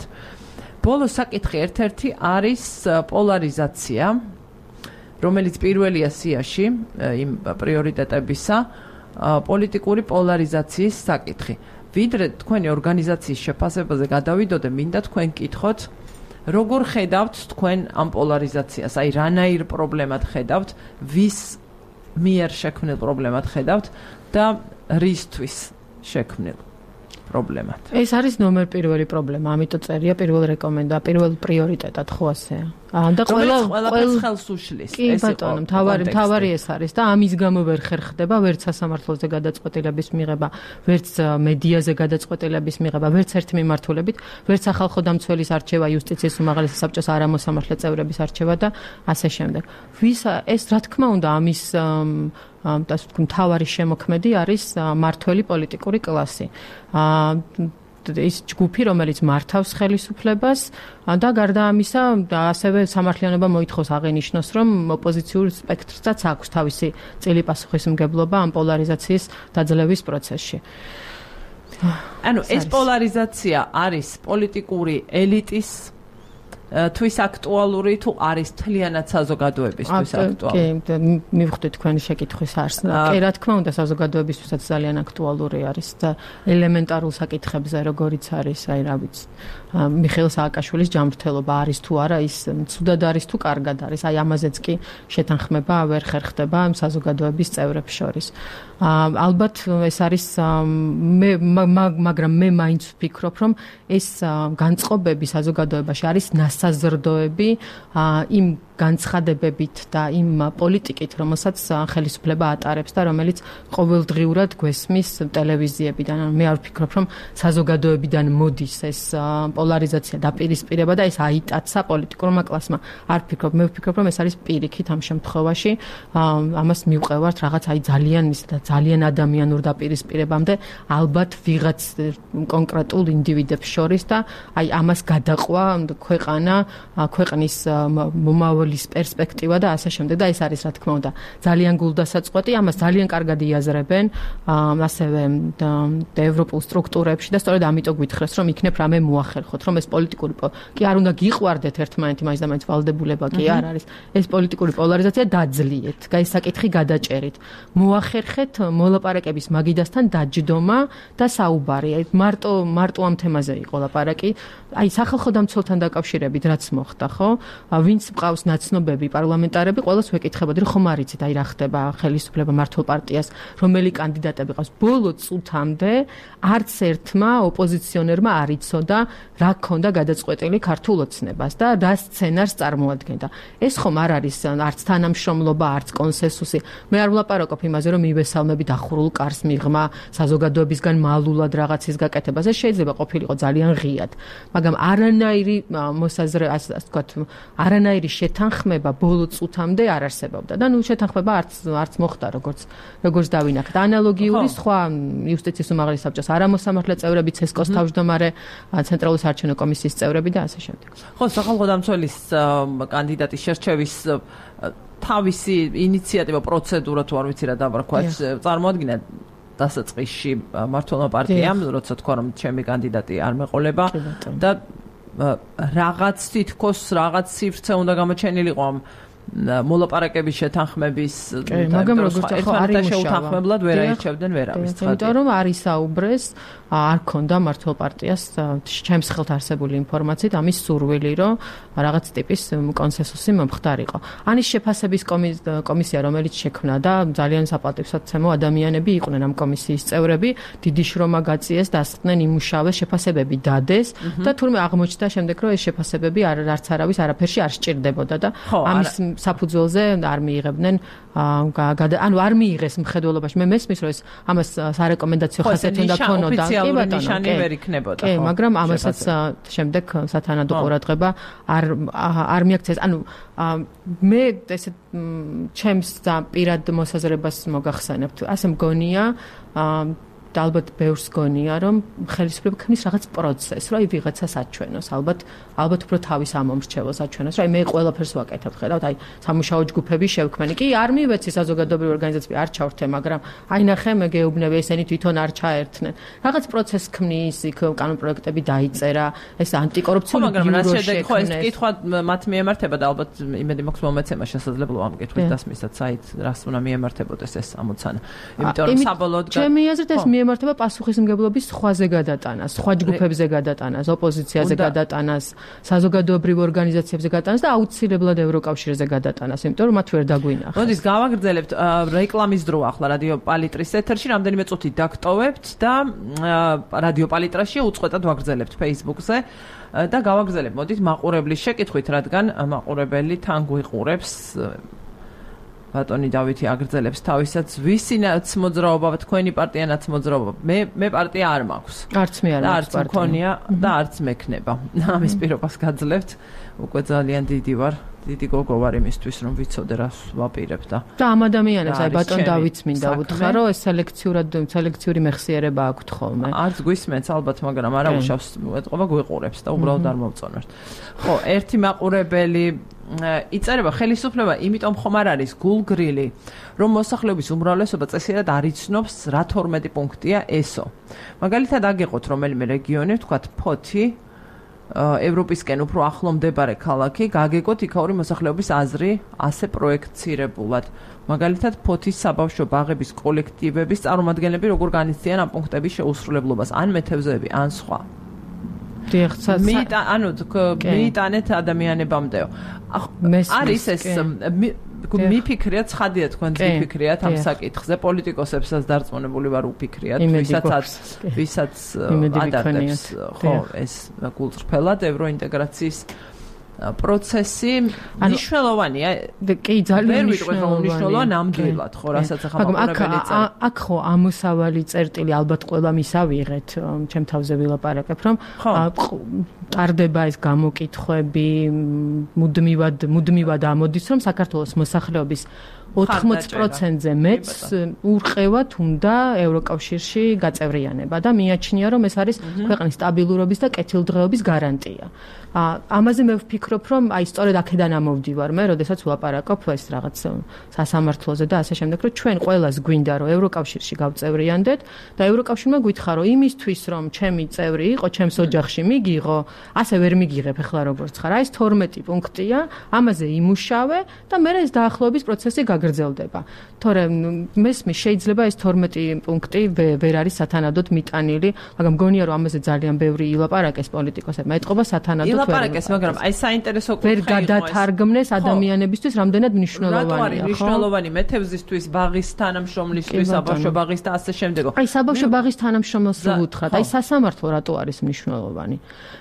ბოლო საკითხი ერთ-ერთი არის პოლარიზაცია, რომელიც პირველია სიაში იმ პრიორიტეტებისა, პოლიტიკური პოლარიზაციის საკითხი. ვიდრე თქვენი ორგანიზაციის შეფასებაზე გადავიდოდე, მინდა თქვენ კითხოთ, როგორ ხედავთ თქვენ ამ პოლარიზაციას? აი, რანაირ პრობლემად ხედავთ, ვის მიერ შექმნილ პრობლემად ხედავთ და რისთვის შექმნილ პრობლემად? ეს არის ნომერ პირველი პრობლემა, ამიტომ წერია პირველ რეკომენდა, პირველ პრიორიტეტად, ხო ასეა? და ყველა ყველაფერს ხელს უშლის. ეს იყო მთავარი მთავარი ეს არის და ამის გამო ვერ ხერხდება ვერც სასამართლოზე გადაწყვეტილების მიღება, ვერც მედიაზე გადაწყვეტილების მიღება, ვერც ერთ მიმართულებით, ვერც სახალხო დამცველის არჩევა, იუსტიციის უმაღლესი საბჭოს არამოსამართლე წევრების არჩევა და ასე შემდეგ. ვის ეს რა თქმა უნდა ამის ასე ვთქვი მთავარი შემოქმედი არის მართველი პოლიტიკური კლასი. ის ჯგუფი, რომელიც მართავს ხელისუფლებას და გარდა ამისა, ასევე სამართლიანობა მოითხოვს აღენიშნოს, რომ ოპოზიციურ სპექტრსაც აქვს თავისი წილი პასუხისმგებლობა ამ პოლარიზაციის დაძლევის პროცესში. ანუ ეს პოლარიზაცია არის პოლიტიკური ელიტის თვის აქტუალური თუ არის მთლიანად საზოგადოებისთვის აქტუალური? კი, მივხვდით თქვენი შეკითხვის არსს. კი, რა თქმა უნდა, საზოგადოებისთვისაც ძალიან აქტუალური არის და ელემენტარულ საკითხებზე, როგორიც არის, აი რა ვიცი, მიხეილ სააკაშვილის ჯანმრთელობა არის თუ არა, ის ცუდად არის თუ კარგად არის. აი ამაზეც კი შეთანხმება ვერ ხერხდება საზოგადოების წევრებს შორის. ალბათ ეს არის მე მაგრამ მე მაინც ვფიქრობ, რომ ეს განწყობები საზოგადოებაში არის სასაზრდოები იმ განცხადებებით და იმ პოლიტიკით, რომელსაც ხელისუფლება ატარებს და რომელიც ყოველდღიურად გვესმის ტელევიზიებიდან. მე არ ვფიქრობ, რომ საზოგადოებიდან მოდის ეს პოლარიზაცია დაპირისპირება და ეს აიტაცა პოლიტიკურმა კლასმა. არ ვფიქრობ, მე ვფიქრობ, რომ ეს არის პირიქით ამ შემთხვევაში. ამას მივყევართ რაღაც აი ძალიან ის და ძალიან ადამიანურ დაპირისპირებამდე ალბათ ვიღაც კონკრეტულ ინდივიდებს შორის და აი ამას გადაყვა ქვეყანა, ქვეყნის მომავალი პერსპექტივა და ასე შემდეგ და ეს არის რა თქმა უნდა ძალიან გულდასაწყვეტი, ამას ძალიან კარგად იაზრებენ ასევე ევროპულ სტრუქტურებში და სწორედ ამიტომ გვითხრეს, რომ იქნებ რამე მოახერხოთ, რომ ეს პოლიტიკური კი არ უნდა გიყვარდეთ ერთმანეთი, მაინც და მაინც ვალდებულება კი არ არის. ეს პოლიტიკური პოლარიზაცია დაძლიეთ, ეს საკითხი გადაჭერით. მოახერხეთ მოლაპარაკების მაგიდასთან დაჯდომა და საუბარი. მარტო მარტო ამ თემაზე იყო ლაპარაკი. აი სახალხო დამცველთან დაკავშირებით რაც მოხდა, ხო? ვინც მყავს ნაცნობები პარლამენტარები, ყველას ვეკითხებოდი, რომ ხომ არიცით, აი რა ხდება ხელისუფლება მართლ პარტიას, რომელი კანდიდატები ყავს. ბოლო წუთამდე არც ერთმა ოპოზიციონერმა არ იცოდა, რა ქონდა გადაწყვეტილი ქართულ ოცნებას და რა სცენარს წარმოადგენდა. ეს ხომ არ არის არც თანამშრომლობა, არც კონსენსუსი. მე არ ვლაპარაკობ იმაზე, რომ მივესალმები დახურულ კარს მიღმა, საზოგადოებისგან მალულად რაღაცის გაკეთებას. ეს შეიძლება ყოფილიყო ძალიან ღიად, მაგრამ არანაირი მოსაზრე, ასე ვთქვათ, არანაირი შეთანხმება ბოლო წუთამდე არ არსებობდა და ნუ შეთანხმება არც არც მოხდა, როგორც როგორც დავინახეთ. ანალოგიური სხვა იუსტიციის უმაღლესი საბჭოს არამოსამართლე წევრები, ცესკოს თავმჯდომარე, ცენტრალური საარჩევნო კომისიის წევრები და ასე შემდეგ. ხო, სახალხო დამცველის კანდიდატის შერჩევის თავისი ინიციატივა, პროცედურა თუ არ ვიცი რა დავარქვათ, წარმოადგინა დასაწყისში მართლმა პარტიამ, როცა თქვა რომ ჩემი კანდიდატი არ მეყოლება და რაღაც თითქოს რაღაც სივრცე უნდა გამოჩენილიყო ამ მოლაპარაკების შეთანხმების მაგრამ როგორც ახლა არის შეუთანხმებლად ვერ აირჩევდნენ ვერავის. იმიტომ რომ არის საუბრეს, არ ქონდა მართლ პარტიას ჩემს ხელთ არსებული ინფორმაციით ამის სურვილი, რომ რაღაც ტიპის კონსენსუსი მომხდარიყო. ანის შეფასების კომისია, რომელიც შექმნა და ძალიან საპატივსაცემო ადამიანები იყვნენ ამ კომისიის წევრები, დიდი შრომა გაწიეს, დასწრდნენ, იმუშავეს, შეფასებები დადეს და თურმე აღმოჩნდა შემდეგ, რომ ეს შეფასებები არც არავის არაფერში არ სჭირდებოდა და ამის საფუძველზე არ მიიღებდნენ ანუ არ მიიღეს მხედველობაში. მე მესმის, რომ ეს ამას სარეკომენდაციო ხასიათი უნდა ქონოდა. კი ბატონო, ვერ იქნებოდა. კი, მაგრამ ამასაც შემდეგ სათანადო ყურადღება არ არ მიაქცეს. ანუ მე ესე ჩემს პირად მოსაზრებას მოგახსენებთ. ასე მგონია და ალბათ ბევრს გონია, რომ ხელისუფლება ქმნის რაღაც პროცესს, რომ აი ვიღაცას აჩვენოს, ალბათ ალბათ უფრო თავის ამომრჩეველს აჩვენოს, რომ აი მე ყველაფერს ვაკეთებ, ხედავთ, აი სამუშაო ჯგუფები შევქმენი. კი, არ მივეცი საზოგადოებრივი ორგანიზაციები არ ჩავრთე, მაგრამ აი ნახე მე გეუბნები, ესენი თვითონ არ ჩაერთნენ. რაღაც პროცესს ქმნის, იქ კანონპროექტები დაიწერა, ეს ანტიკორუფციული ბიურო შექმნეს. ხო, ეს კითხვა მათ მიემართება და ალბათ იმედი მაქვს მომეცემა შესაძლებლობა ამ კითხვის დასმისაც, აი რას უნდა მიემართებოდეს ეს ამოცანა. იმიტომ რომ საბოლოოდ ჩემი აზრით ეს მიემართება პასუხისმგებლობის სხვაზე გადატანას, სხვა ჯგუფებზე გადატანას, ოპოზიციაზე გადატანას, საზოგადოებრივ ორგანიზაციებზე გადატანას და აუცილებლად ევროკავშირზე გადატანას, იმიტომ რომ მათ ვერ დაგვინახეს. მოდით გავაგრძელებთ რეკლამის დრო ახლა რადიო პალიტრის ეთერში, რამდენიმე წუთი დაგტოვებთ და რადიო პალიტრაში უწყვეტად ვაგრძელებთ Facebook-ზე და გავაგრძელებთ. მოდით მაყურებლის შეკითხვით, რადგან მაყურებელი თან გვიყურებს. ბატონი დავითი აგრძელებს თავისაც, ვისინაც მოძრაობა, თქვენი პარტიანაც მოძრაობა. მე მე პარტია არ მაქვს. არც მე არ მაქვს პარტია. არც მქონია და არც მექნება. ამის პირობას გაძლევთ. უკვე ძალიან დიდი ვარ. დიდი გოგო ვარ იმისთვის, რომ ვიცოდე რას ვაპირებ და და ამ ადამიანებს აი ბატონ დავითს მინდა უთხრა, რომ ეს სელექციურად სელექციური მეხსიერება აქვთ ხოლმე. არც გვისმენთ ალბათ, მაგრამ არა უშავს ეთყობა გვიყურებს და უბრალოდ არ მოვწონოთ. ხო, ერთი მაყურებელი იწერება ხელისუფლება, იმიტომ ხომ არ არის გულგრილი, რომ მოსახლეობის უმრავლესობა წესიერ არ იცნობს რა თორმეტი პუნქტია ესო. მაგალითად აგეყოთ რომელიმე რეგიონი, ვთქვათ ფოთი, ევროპისკენ უფრო ახლო მდებარე ქალაქი, გაგეკოთ იქაური მოსახლეობის აზრი ასე პროექცირებულად. მაგალითად ფოთის საბავშვო ბაღების კოლექტივების წარმომადგენლები როგორ განიცდიან ამ პუნქტების შეუსრულებლობას, ან მეთევზეები, ან სხვა. ანუ მიიტანეთ ადამიანებამდეო. არის ეს მიფიქრიათ, ცხადია თქვენ მიფიქრიათ ამ საკითხზე, პოლიტიკოსებსაც დარწმუნებული ვარ უფიქრიათ, ვისაც ვისაც ადარდებს ხო ეს გულწრფელად ევროინტეგრაციის პროცესი მნიშვნელოვანია. კი, ძალიან მნიშვნელოვანია ნამდვილად, ხო, რასაც ახლა მაყურებელი წერს. აქ ხო ამოსავალი წერტილი ალბათ ყველა მისავიღეთ, ჩემ თავზე ვილაპარაკებ, რომ ტარდება ეს გამოკითხვები, მუდმივად მუდმივად ამოდის, რომ საქართველოს მოსახლეობის ოთხმოცი პროცენტზე მეც ურყევათ უნდა ევროკავშირში გაწევრიანება და მიაჩნია რომ ეს არის ქვეყნის სტაბილურობის და კეთილდღეობის გარანტია. ამაზე მე ვფიქრობ რომ აი სწორედ აქედან ამოვდივარ მე, როდესაც ვლაპარაკობ ეს რაღაც სასამართლოზე და ასე შემდეგ, რომ ჩვენ ყველას გვინდა რომ ევროკავშირში გავწევრიანდეთ და ევროკავშირმა გვითხრა რომ იმისთვის რომ ჩემი წევრი იყო, ჩემს ოჯახში მიგიღო, ასე ვერ მიგიღებ ახლა როგორც ხარ. აი ეს თორმეტი პუნქტია, ამაზე იმუშავე და მე ეს დაახლოების პროცესი გაგრძელდება. თორემ მესმის შეიძლება ეს თორმეტი პუნქტი ვერ არის სათანადოდ მიტანილი, მაგრამ მგონია რომ ამაზე ძალიან ბევრი ილაპარაკეს პოლიტიკოსებმა. ეთყობა სათანადოდ ილაპარაკეს, მაგრამ აი საინტერესო კუთხე ვერ გადათარგმნეს ადამიანებისთვის რამდენად მნიშვნელოვანია, ხო? მნიშვნელოვანი მეთევზისთვის, ბაღის თანამშრომლისთვის, საბავშვო ბაღის და ასე შემდეგ. აი საბავშვო ბაღის თანამშრომელს ვუთხრათ, აი სასამართლო რატო არის მნიშვნელოვანი?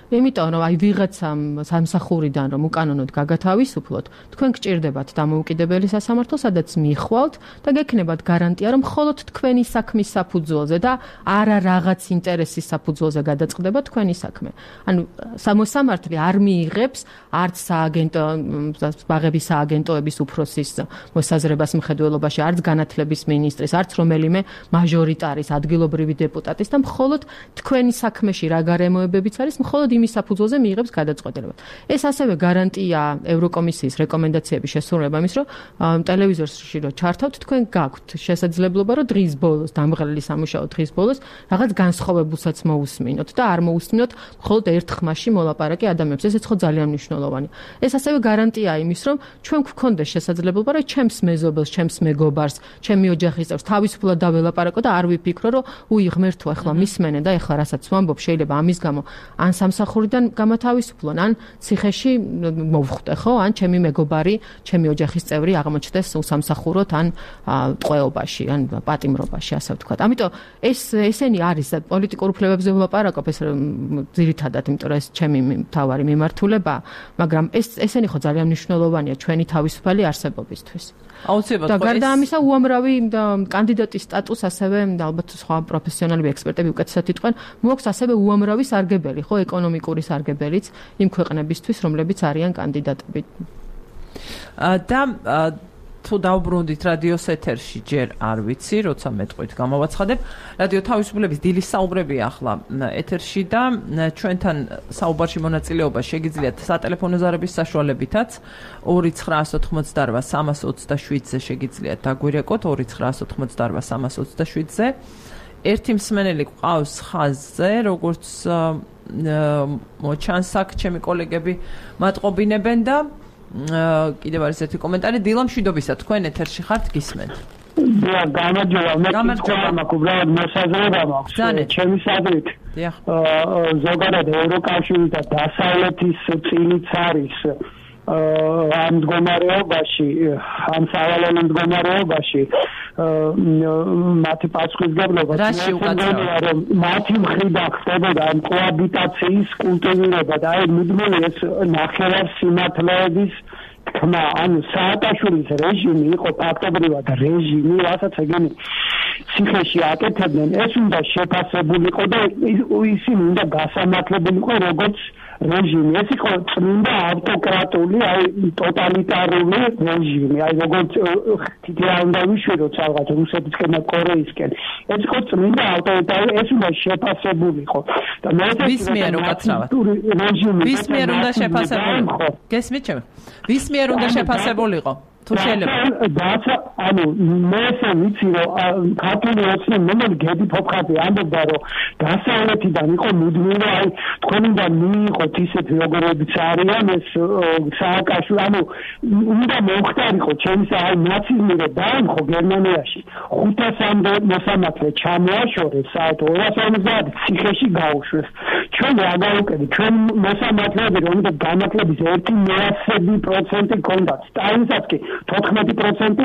იმიტომ რომ აი ვიღაცამ სამსახურიდან რომ უკანონოდ გაგათავისუფლოთ, თქვენ გჭირდებათ დამოუკიდებელი სასამართლო, სადაც მიხვალთ და გექნებათ გარანტია, რომ მხოლოდ თქვენი საქმის საფუძველზე და არა რაღაც ინტერესის საფუძველზე გადაწყდება თქვენი საქმე. ანუ სამოსამართლე არ მიიღებს არც სააგენტო ბაღების სააგენტოების უფროსის მოსაზრებას მხედველობაში, არც განათლების მინისტრის, არც რომელიმე მაჟორიტარის ადგილობრივი დეპუტატის და მხოლოდ თქვენი საქმეში რა გარემოებებიც არის, მხოლოდ იმის საფუძველზე მიიღებს გადაწყვეტილება. ეს ასევე გარანტია ევროკომისიის რეკომენდაციების შესრულება იმის, რომ ტელევიზორში რო ჩართავთ, თქვენ გაქვთ შესაძლებლობა, რომ დღის ბოლოს, დამღლელი სამუშაო დღის ბოლოს რაღაც განსხვავებულსაც მოусმინოთ და არ მოусმინოთ მხოლოდ ერთ ხმაში მოლაპარაკე ადამიანებს. ესეც ხო ძალიან მნიშვნელოვანია. ეს ასევე გარანტია იმის, რომ ჩვენ გვქონდეს შესაძლებლობა, რომ ჩემს მეზობელს, ჩემს მეგობარს, ჩემი ოჯახის წევრს თავისუფლად დაველაპარაკო და არ ვიფიქრო, რომ უი ღმერთო, ახლა მისმენენ და ახლა რასაც ვამბობ, შეიძლება ამის გამო ან სამსახურიდან გამათავისუფლონ, ან ციხეში მოვხვდე, ხო? ან ჩემი მეგობარი, ჩემი ოჯახის წევრი აღმოჩნდეს უსამსახუროდ, ან ტყვეობაში, ან პატიმრობაში, ასე ვთქვათ. ამიტომ ეს ესენი არის პოლიტიკურ უფლებებზე ვლაპარაკობ, ეს ძირითადად, იმიტომ რომ ეს ჩემი მთავარი მიმართულება, მაგრამ ეს ესენი ხო ძალიან მნიშვნელოვანია ჩვენი თავისუფალი არსებობისთვის. აუცილებლად. და გარდა ამისა, უამრავი კანდიდატის სტატუსს ასევე ალბათ სხვა პროფესიონალები, ექსპერტები უკეთესად იტყვენ, მოაქვს ასევე უამრავი სარგებელი, ხო, ეკონომიკური სარგებელიც იმ ქვეყნებისთვის, რომლებიც არიან კანდიდატები. და თუ დავბრუნდით რადიოს ეთერში, ჯერ არ ვიცი, როცა მეტყვით გამოვაცხადებ. რადიო თავისუფლების დილის საუბრები ახლა ეთერში და ჩვენთან საუბარში მონაწილეობა შეგიძლიათ სატელეფონო ზარების საშუალებითაც ორი ცხრაასი ოთხმოცდაოთხ სამას ოცდაშვიდზე შეგიძლიათ დაგვირეკოთ ორი ცხრაასი ოთხმოცდაოთხ სამას ოცდაშვიდზე. ერთი მსმენელი ყავს ხაზზე, როგორც მოჩანს აქ ჩემი კოლეგები მატყობინებენ და კიდევ არის ერთი კომენტარი, დილა მშვიდობისა, თქვენ ეთერში ხართ, გისმენთ. და გამარჯობა, მე გამარჯობა მაქვს, უბრალოდ მოსაზრება მაქვს. ჩემი საზრით ზოგადად ევროკავშირი და დასავლეთის წილიც არის ამ მდგომარეობაში, ამ სავალალო მდგომარეობაში მათი პასუხისმგებლობა რომ მათი მხრიდან ხდებოდა ამ კოაბიტაციის კულტივირება და აი მუდმივი ეს ნახევარ სიმართლეების თქმა, ანუ სააკაშვილის რეჟიმი იყო ფაქტობრივად რეჟიმი, რასაც ეგენი ციხეში აკეთებდნენ, ეს უნდა შეფასებულიყო და ისინი უნდა გასამართლებულიყო როგორც რეჟიმი. ეს იყო წმინდა ავტოკრატული, აი ტოტალიტარული რეჟიმი, აი როგორც თითქოს უნდა ვიშვიდოთ რაღაც რუსეთისკენ და კორეისკენ. ეს იყო წმინდა ავტოკრატული, ეს უნდა შეფასებულიყო. და მე ვის მიერ უკაცრავად? ვის მიერ უნდა შეფასებულიყო? გესმით ჩემ? ვის მიერ უნდა შეფასებულიყო? თუ შეიძლება დაცა ანუ მე ესე ვიცი რომ ქართული ოცნებები გედი ფოფხაძე ამბობდა რომ დასავლეთიდან იყო მუდმივი აი თქვენიდან მიიღოთ ისეთი როგორებიც არიან ეს სააკაშვილი ანუ უნდა მოხდარიყო ჩემს აი ნაციზმი რომ დაემხო გერმანიაში ხუთასამდე მოსამართლე ჩამოაშორეს საერთო ორას ორმოცდაათი ციხეში გაუშვეს ჩვენ რა გავუკეთეთ ჩვენ მოსამართლეები რომელთა განათლების ერთი მეათსები პროცენტი ჰქონდათ სტალინსაც კი თოთხმეტი პროცენტი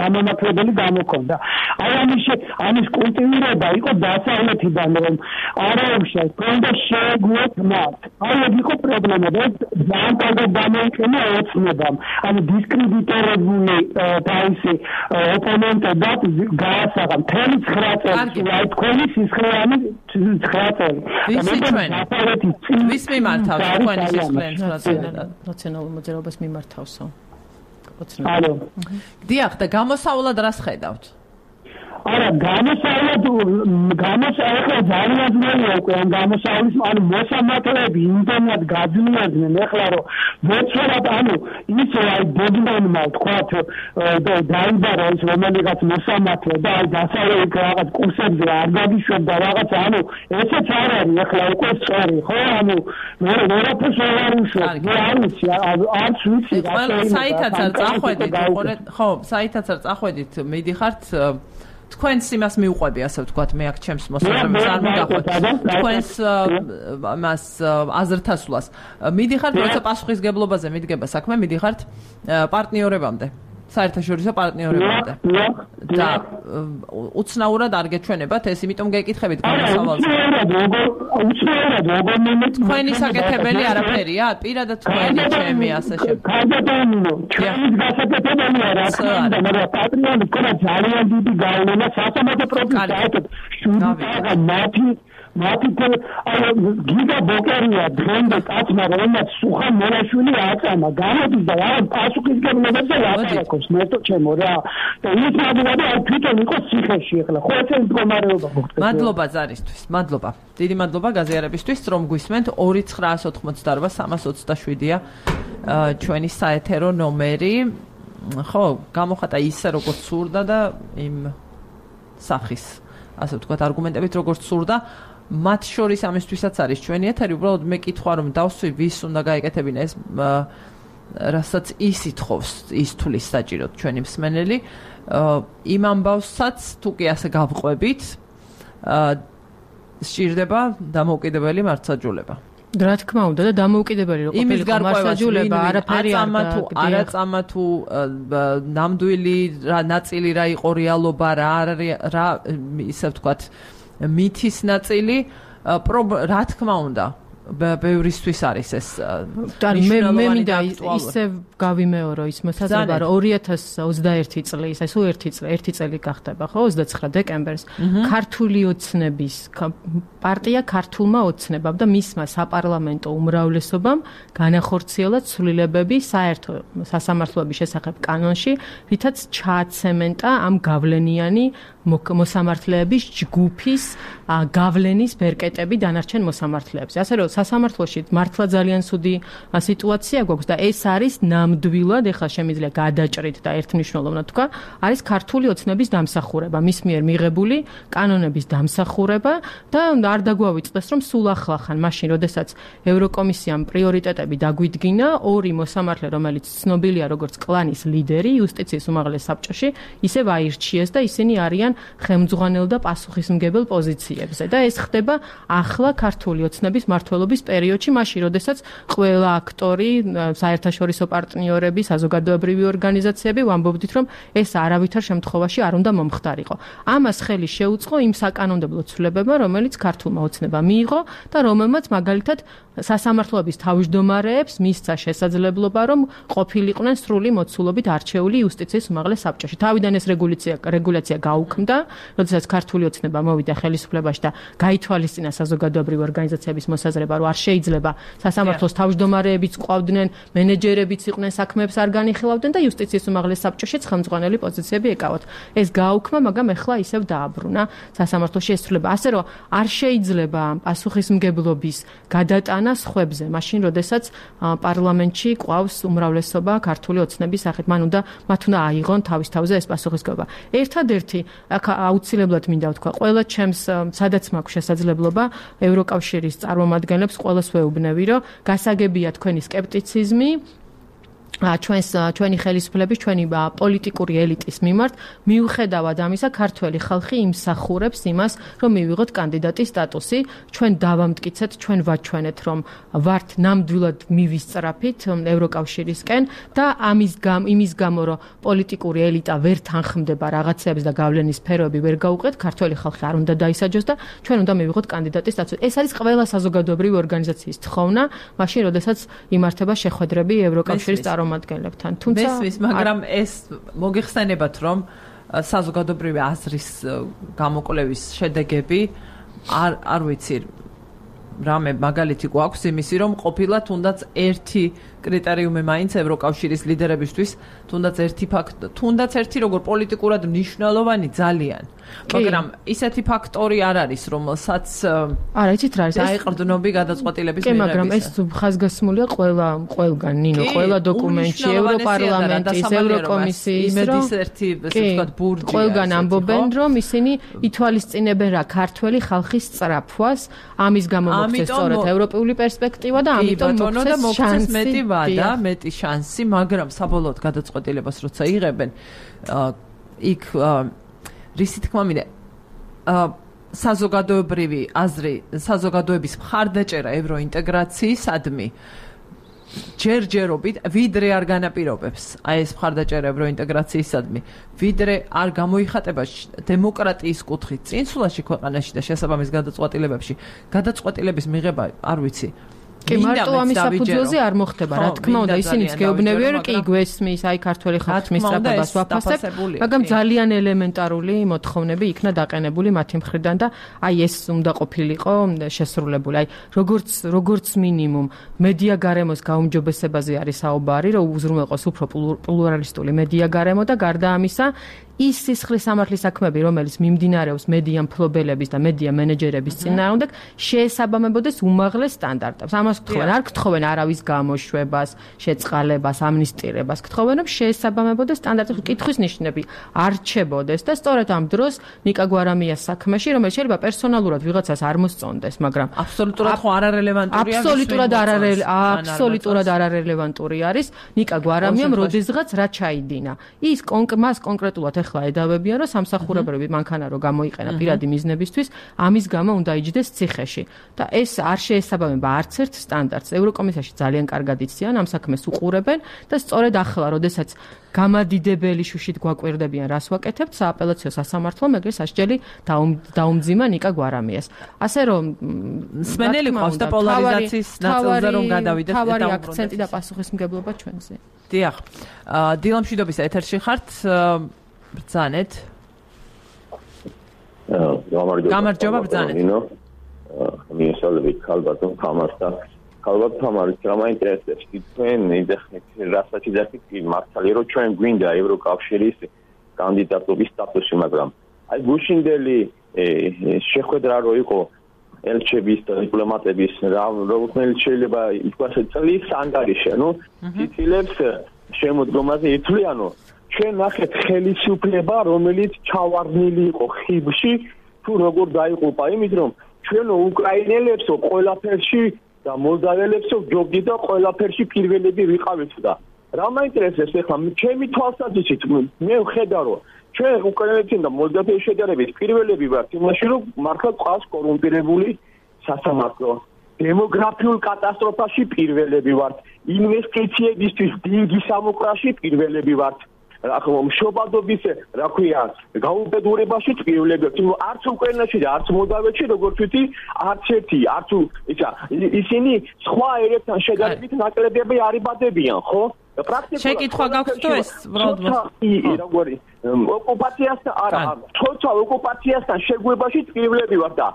გამონათლებელი გამოქონდა. აი ამის ამის კულტივირება იყო დასავლეთიდან რომ არაუშავს კონდა შეგვეთ მათ. აი ეგ იყო პრობლემა და ძალიან კარგად გამოიყენა ოცნებამ. ანუ დისკრედიტირებული თავისი ოპონენტებად გაასაღა მთელი ცხრა წელი. აი თქვენი სისხლიანი ცხრა წელი. ვისი ჩვენ? ვის მიმართავს თქვენი სისხლიანი ცხრა წელი? ნაციონალურ მოძრაობას მიმართავსო. ალო. დიახ, და გამოსავლად რას ხედავთ? არა, გამოსავლად გამოსავლა ძალიან ძნელია უკვე ამ გამოსავლის, ანუ მოსამართლეები იმდენად გაძნიდნენ ახლა რომ მოწვევად, ანუ ისე აი ბოდმანმა თქვათ დაიბარა ის რომელიღაც მოსამართლე და აი დასავლეთ რაღაც კურსებზე არ გაგიშვებდა რაღაც, ანუ ესეც არ არის ახლა უკვე სწორი, ხო? ანუ მე ვერაფერს არ უშვებ, მე არ ვიცი, არც ვიცი რა. საითაც არ წახვედით, ხო, საითაც არ წახვედით, მიდიხართ თქვენს იმას მიუყვები, ასე ვთქვათ, მე აქ ჩემს მოსაზრებას არ მოგახვეთ. თქვენს მას აზრთასვლას. მიდიხართ, როცა პასუხისგებლობაზე მიდგება საქმე, მიდიხართ პარტნიორებამდე. საერთაშორისო პარტნიორებამდე. და უცნაურად არ გეჩვენებათ ეს, იმიტომ გეკითხებით გამოსავალზე. უცნაურად როგორ მომეწ თქვენი საკეთებელი არაფერია, პირადად თქვენი ჩემი ასე შემდეგ. კარგადამინო, ჩვენი გასაკეთებელია რა თქმა უნდა, მაგრამ პატრიონი ქონა ძალიან დიდი გავლენა სასამართლო პროცესში აიღებს. შუა მათი მათი აი გიგა ბოკერია დრონდა კაცმა რომელმაც სუხა მონაშვილი აწამა გამოდის და რა პასუხისგებლობებზე ლაპარაკობს მეტო ჩემო რა და ის მაგალითად აი თვითონ იყო ციხეში ახლა ხო ეს მდგომარეობა მოხდა. მადლობა ზარისთვის, მადლობა. დიდი მადლობა გაზიარებისთვის, რომ გვისმენთ. ორი ცხრა ოცდაოთხმოცდაარბა სამას ოცდაშვიდია ჩვენი საეთერო ნომერი. ხო, გამოხატა ისე როგორც სურდა და იმ სახის ასე ვთქვათ არგუმენტებით როგორც სურდა. მათ შორის ამისთვისაც არის ჩვენი ეთერი, უბრალოდ მე კითხვა რომ დავსვი ვის უნდა გაეკეთებინა ეს რასაც ის ითხოვს, ის თulis საჭიროდ ჩვენი მსმენელი. იმ ამბავსაც თუ კი ასე გავყვებით, სჭირდება დამოუკიდებელი მართლმსაჯულება. რა თქმა უნდა და დამოუკიდებელი რო ყოფილიყო მართლმსაჯულება, არაფერი არ და არა წამა თუ ნამდვილი რა ნაწილი რა იყო რეალობა, რა რა ისე ვთქვათ მითის ნაწილი, რა თქმა უნდა ბევრისთვის არის ეს მე მე მინდა ისე გავიმეორო ის მოსაზრება რომ ორი ათას ოცდაერთი წლის აი სულ ერთი წელი ერთი წელი გახდება ხო ოცდაცხრა დეკემბერს ქართული ოცნების პარტია ქართულმა ოცნებამ და მისმა საპარლამენტო უმრავლესობამ განახორციელა ცვლილებები საერთო სასამართლოების შესახებ კანონში, რითაც ჩააცემენტა ამ გავლენიანი მოსამართლეების ჯგუფის გავლენის ბერკეტები დანარჩენ მოსამართლეებზე. ასე რომ სასამართლოში მართლა ძალიან ცუდი სიტუაცია გვაქვს და ეს არის ნამდვილად, ეხლა შემიძლია გადაჭრით და ერთმნიშვნელოვნად თქვა, არის ქართული ოცნების დამსახურება, მის მიერ მიღებული კანონების დამსახურება და არ დაგვავიწყდეს, რომ სულ ახლახან, მაშინ, როდესაც ევროკომისიამ პრიორიტეტები დაგვიდგინა, ორი მოსამართლე, რომელიც ცნობილია როგორც კლანის ლიდერი იუსტიციის უმაღლეს საბჭოში, ისევ აირჩიეს და ისინი არიან ხელმძღვანელ და პასუხისმგებელ პოზიციებზე და ეს ხდება ახლა ქართული ოცნების მმართველობის პერიოდში, მაშინ, როდესაც ყველა აქტორი, საერთაშორისო პარტნიორები, საზოგადოებრივი ორგანიზაციები ვამბობდით, რომ ეს არავითარ შემთხვევაში არ უნდა მომხდარიყო. ამას ხელი შეუწყო იმ საკანონმდებლო ცვლილებებმა, რომელიც ქართულმა ოცნებამ მიიღო და რომელმაც მაგალითად სასამართლოების თავმჯდომარეებს მისცა შესაძლებლობა, რომ ყოფილიყვნენ სრული მოცულობით არჩეული იუსტიციის უმაღლეს საბჭოში. თავიდან ეს რეგულაცია რეგულაცია გაუქმდა, როდესაც ქართული ოცნება მოვიდა ხელისუფლებაში და გაითვალისწინა საზოგადოებრივი ორგანიზაციების მოსაზრება, რომ არ შეიძლება სასამართლოს თავმჯდომარეებიც ყვავდნენ, მენეჯერებიც იყვნენ, საქმეებს არ განიხილავდნენ და იუსტიციის უმაღლეს საბჭოშიც ხელმძღვანელი პოზიციები ეკავათ. ეს გააუქმა, მაგრამ ეხლა ისევ დააბრუნა სასამართლოში ეს ცვლილება. ასე რომ არ შეიძლება პასუხისმგებლობის გადატანა სხვებზე, მაშინ, როდესაც პარლამენტში ყვავს უმრავლესობა ქართული ოცნების სახით, მან უნდა მათ უნდა აიღონ თავის თავზე ეს პასუხისმგებლობა. ერთადერთი აქ აუცილებლად მინდა ვთქვა, ყველა ჩემს სადაც მაქვს შესაძლებლობა ევროკავშირის წარმომადგენლებს ყველას ვეუბნები, რომ გასაგებია თქვენი სკეპტიციზმი ჩვენს ჩვენი ხელისუფლების, ჩვენი პოლიტიკური ელიტის მიმართ, მიუხედავად ამისა, ქართველი ხალხი იმსახურებს იმას, რომ მივიღოთ კანდიდატის სტატუსი, ჩვენ დავამტკიცეთ, ჩვენ ვაჩვენეთ, რომ ვართ ნამდვილად მივისწრაფით ევროკავშირისკენ და ამის გამო, იმის გამო, რომ პოლიტიკური ელიტა ვერ თანხმდება რაღაცებს და გავლენის სფეროები ვერ გაუყეთ, ქართველი ხალხი არ უნდა დაისაჯოს და ჩვენ უნდა მივიღოთ კანდიდატის სტატუსი. ეს არის ყველა საზოგადოებრივი ორგანიზაციის თხოვნა, მაშინ, როდესაც იმართება შეხვედრები ევროკავშირის წარმომადგენლებთან. თუმცა მესმის, მაგრამ ეს მოგეხსენებათ, რომ საზოგადოებრივი აზრის გამოკვლევის შედეგები არ არ ვიცი რამე მაგალითი გვაქვს იმისი, რომ ყოფილა თუნდაც ერთი კრიტერიუმი მაინც ევროკავშირის ლიდერებისთვის, თუნდაც ერთი ფაქტ, თუნდაც ერთი როგორ პოლიტიკურად მნიშვნელოვანი ძალიან. მაგრამ ისეთი ფაქტორი არ არის, რომელსაც არა, იცით რა არის? დაეყრდნობი გადაწყვეტილების მიღებისა. კი, მაგრამ ეს ხაზგასმულია ყველა ყველგან, ნინო, ყველა დოკუმენტში, ევროპარლამენტის, ევროკომისიის, იმედის ერთი, ესე ვთქვათ, ბურჯია. ყველგან ამბობენ, რომ ისინი ითვალისწინებენ რა ქართველი ხალხის სწრაფვას, ამის გამო მოხდეს სწორედ ევროპული პერსპექტივა და ამიტომ მოხდეს მეტი ვადა, მეტი შანსი, მაგრამ საბოლოოდ გადაწყვეტილებას როცა იღებენ, იქ რისი თქმა მინდა, საზოგადოებრივი აზრი, საზოგადოების მხარდაჭერა ევროინტეგრაციისადმი ჯერჯერობით ვიდრე არ განაპირობებს აი ეს მხარდაჭერა ევროინტეგრაციისადმი, ვიდრე არ გამოიხატება დემოკრატიის კუთხით წინსულაში ქვეყანაში და შესაბამის გადაწყვეტილებებში, გადაწყვეტილების მიღება, არ ვიცი. კი, მარტო ამის საფუძველზე არ მოხდება, რა თქმა უნდა, ისინიც გეუბნებიან, კი გვესმის, აი ქართველი ხალხის მისწრაფებას ვაფასებ, მაგრამ ძალიან ელემენტარული მოთხოვნები იქნა დაყენებული მათი მხრიდან და აი ეს უნდა ყოფილიყო შესრულებული. აი როგორც როგორც მინიმუმ მედია გარემოს გაუმჯობესებაზე არის საუბარი, რომ უზრუნველყოს უფრო პლურალისტული მედია გარემო და გარდა ამისა ის სისხლის სამართლის საქმეები, რომელიც მიმდინარეობს მედია მფლობელების და მედია მენეჯერების წინააღმდეგ, შეესაბამებოდეს უმაღლეს სტანდარტებს. ამას გთხოვენ, არ გთხოვენ არავის გამოშვებას, შეწყალებას, ამნისტირებას, გთხოვენ, რომ შეესაბამებოდეს სტანდარტებს, კითხვის ნიშნები არ რჩებოდეს და სწორედ ამ დროს ნიკა გვარამიას საქმეში, რომელიც შეიძლება პერსონალურად ვიღაცას არ მოსწონდეს, მაგრამ აბსოლუტურად ხო არარელევანტურია. აბსოლუტურად არარელევანტური, აბსოლუტურად არარელევანტური არის ნიკა გვარამიამ როდესღაც რა ჩაიდინა. ის მას კონკრეტულად ახლა ედავებიან, რომ სამსახურებრივი მანქანა რო გამოიყენა პირადი მიზნებისთვის, ამის გამო უნდა იჯდეს ციხეში. და ეს არ შეესაბამება არც ერთ სტანდარტს. ევროკომისიაში ძალიან კარგად იციან, ამ საქმეს უყურებენ და სწორედ ახლა, როდესაც გამადიდებელი შუშით გვაკვირდებიან, რას ვაკეთებთ, სააპელაციო სასამართლომ ეგრე სასჯელი დაუმძიმა ნიკა გვარამიას. ასე რომ სმენელი ყავს და პოლარიზაციის ნაწილზე რომ გადავიდეთ და თავარი აქცენტი და პასუხისმგებლობა ჩვენზე. დიახ. დილამშვიდობის ეთერში ხართ. ბრძანეთ. გამარჯობა ბრძანეთ. მიესალმებით ქალბატონ თამარს და ქალბატონ თამარის რა მაინტერესებს თქვენ იძახით რასაც იძახით მართალია რომ ჩვენ გვინდა ევროკავშირის კანდიდატობის სტატუსი, მაგრამ აი გუშინდელი შეხვედრა რო იყო ელჩების და დიპლომატების რომელიც შეიძლება ითქვას წლის ანგარიში, ანუ ცდილებს შემოდგომაზე ითვლიანო ჩვენ ნახეთ ხელისუფლება, რომელიც ჩავარდნილი იყო ხიბში, თუ როგორ დაიღუპა, იმით რომ ჩვენ უკრაინელებსო ყველაფერში და მოლდაველებსო ჯობდი და ყველაფერში პირველები ვიყავით და რა მაინტერესებს ახლა ჩემი თვალსაზრისით მე ვხედავ რომ ჩვენ უკრაინელებთან და მოლდავეთის შედარებით პირველები ვართ იმაში რომ მართლა ყავს კორუმპირებული სასამართლო დემოგრაფიულ კატასტროფაში პირველები ვართ ინვესტიციებისთვის დინგი სამოქრაში პირველები ვართ ახლა მშობადობის რა ქვია გაუბედურებაში პირველები ვართ არც უკრაინაში და არც მოლდავეთში როგორც ვთქვი არც ერთი არც ისა ისინი სხვა ერებთან შედარებით ნაკლებები არიბადებიან ხო პრაქტიკულად შეკითხვა გაქვთ თუ ეს როგორი ოკუპაციასთან არა თორსა ოკუპაციასთან შეგვებაში პირველები ვართ და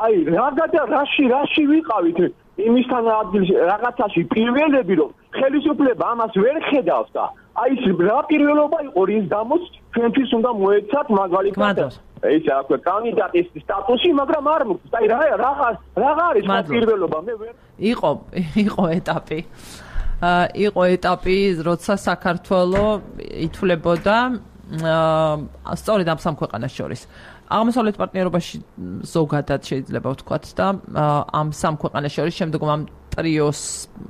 აი რა და რაში რაში ვიყავით იმისთან ადგილში რაღაცაში პირველები რომ ხელისუფლება ამას ვერ ხედავს და აი ეს რა პირველობა იყო რის გამოც ჩვენთვის უნდა მოეცათ მაგალითად ეს აქვე კანდიდატის სტატუსი მაგრამ არ მოგვს აი რა რა რა არის პირველობა მე ვერ იყო იყო ეტაპი იყო ეტაპი როცა საქართველოს ითვლებოდა სწორედ ამ სამ ქვეყანას შორის აღმოსავლეთ პარტნიორობაში ზოგადად შეიძლება ვთქვათ და ამ სამ ქვეყანას შორის შემდგომ ამ ტრიოს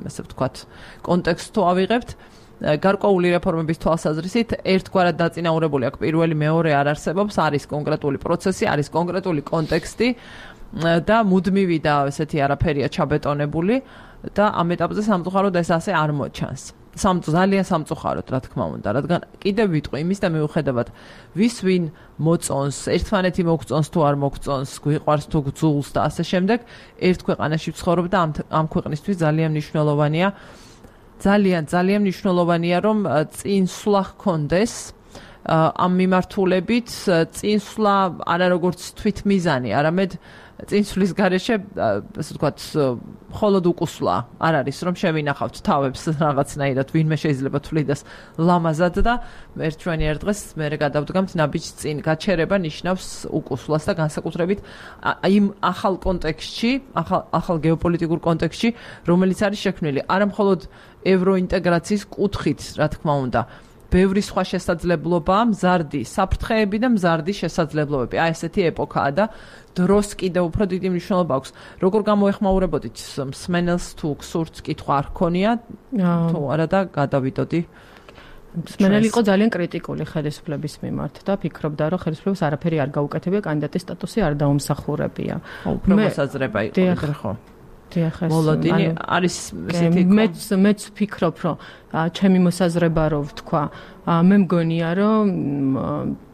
ესე ვთქვათ კონტექსტს თუ ავიღებთ გარკვეული რეფორმების თვალსაზრისით ერთგვარად დაწინაურებული აქვს პირველი მეორე არ არსებობს არის კონკრეტული პროცესი არის კონკრეტული კონტექსტი და მუდმივი და ესეთი არაფერია ჩაბეტონებული და ამ ეტაპზე სამწუხაროდ ეს ასე არ მოჩანს სამწუხაროდ ძალიან სამწუხაროდ რა თქმა უნდა რადგან კიდევ ვიტყვი იმის და მიუხედავად ვის ვინ მოწონს ერთმანეთი მოგწონს თუ არ მოგწონს გვიყვარს თუ გძულს და ასე შემდეგ ერთ ქვეყანაში ვცხოვრობ და ამ ამ ქვეყნისთვის ძალიან მნიშვნელოვანია ძალიან ძალიან მნიშვნელოვანია რომ წინსვლა ჰქონდეს ამ მიმართულებით წინსვლა არა როგორც თვითმიზანი არამედ წინსვლის გარეშე ასე ვთქვათ მხოლოდ უკუსვლა არ არის რომ შევინახავთ თავებს რაღაცნაირად ვინმე შეიძლება თვლიდეს ლამაზად და ერთ ჩვენი ერთ დღეს მე გადავდგამთ ნაბიჯს წინ გაჩერება ნიშნავს უკუსვლას და განსაკუთრებით იმ ახალ კონტექსტში ახალ ახალ გეოპოლიტიკურ კონტექსტში რომელიც არის შექმნილი არა მხოლოდ ევროინტეგრაციის კუთხით რა თქმა უნდა ბევრი სხვა შესაძლებლობაა მზარდი საფრთხეები და მზარდი შესაძლებლობები აი ესეთი ეპოქაა და დროს კიდევ უფრო დიდი მნიშვნელობა აქვს როგორ გამოეხმაურებოდით მსმენელს თუ გსურთ კითხვა არ ქონია თუ არა და გადავიდოდი მსმენელი იყო ძალიან კრიტიკული ხელისუფლების მიმართ და ფიქრობდა რომ ხელისუფლებას არაფერი არ გაუკეთებია კანდიდატის სტატუსი არ დაუმსახურებია უფრო მოსაზრება იყო ხო მოლოდინი არის ესეთი მეც მეც ვფიქრობ რომ ჩემი მოსაზრება რო ვთქვა მე მგონია რომ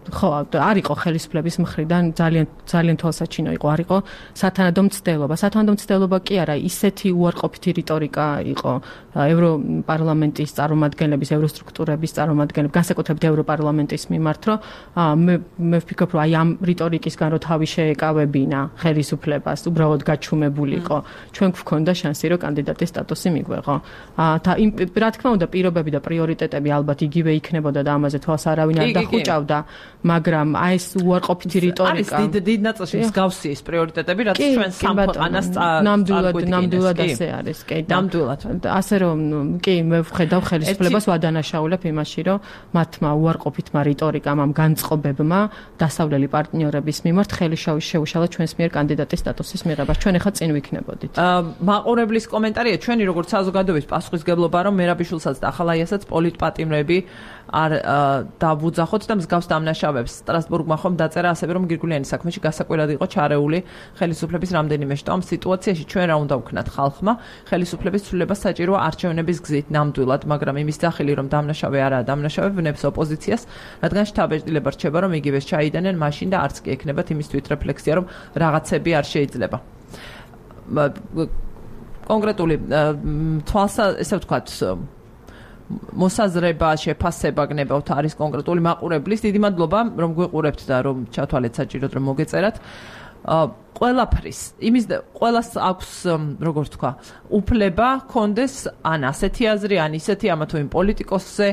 ხო არ იყო ხელისუფლების მხრიდან ძალიან ძალიან თვალსაჩინო იყო არ იყო სათანადო მცდელობა სათანადო მცდელობა კი არა ისეთი უარყოფითი რიტორიკა იყო ევროპარლამენტის წარმომადგენლების ევროსტრუქტურების წარმომადგენლების განსაკუთრებით ევროპარლამენტის მიმართ რომ მე მე ვფიქრობ რომ აი ამ რიტორიკისგან რო თავი შეეკავებინა ხელისუფლებას უბრალოდ გაჩუმებულიყო ჩვენ გვქონდა შანსი რომ კანდიდატის სტატუსი მიგვეღო და იმ რა თქმა უნდა პირობები და პრიორიტეტები ალბათ იგივე იქნებოდა და ამაზე თვალს არავინ არ დახუჭავდა მაგრამ აი ეს უარყოფითი რიტორიკა არის დიდ დიდ ნაწილში მსგავსი ეს პრიორიტეტები რაც ჩვენ სამ ქვეყანას ნამდვილად ნამდვილად ასე არის კი ნამდვილად ასე რომ კი მე ვხედავ ხელისუფლებას ვადანაშაულებ იმაში რომ მათმა უარყოფითმა რიტორიკამ ამ განწყობებმა დასავლელი პარტნიორების მიმართ ხელი შეუშალა ჩვენს მიერ კანდიდატის სტატუსის მიღებას ჩვენ ახლა წინ ვიქნებოდით მაყურებლის კომენტარია ჩვენი როგორც საზოგადოების პასუხისგებლობა რომ მერაბიშვილსაც და ახალაიასაც პოლიტპატიმრები არ დავუძახოთ და მსგავს დამნაშავებს სტრასბურგმა ხომ დაწერა ასევე რომ გირგულიანის საქმეში გასაკვირად იყო ჩარეული ხელისუფლების რამდენიმე შტო ამ სიტუაციაში ჩვენ რა უნდა ვქნათ ხალხმა ხელისუფლების ცვლილება საჭიროა არჩევნების გზით ნამდვილად მაგრამ იმის სახელი რომ დამნაშავე არაა დამნაშავე ვნებს ოპოზიციას რადგან შთაბეჭდილება რჩება რომ იგივეს ჩაიდანენ მაშინ და არც კი ექნებათ იმის თვითრეფლექსია რომ რაღაცები არ შეიძლება კონკრეტული თვალსა ესე ვთქვათ მოსაზრება შეფასება გნებავთ არის კონკრეტული მაყურებლის დიდი მადლობა რომ გვიყურებთ და რომ ჩათვალეთ საჭიროდ რომ მოგეწერათ ყველაფრის იმის ყველას აქვს როგორ თქვა უფლება კონდეს ან ასეთი აზრი ან ისეთი ამა თუ იმ პოლიტიკოსზე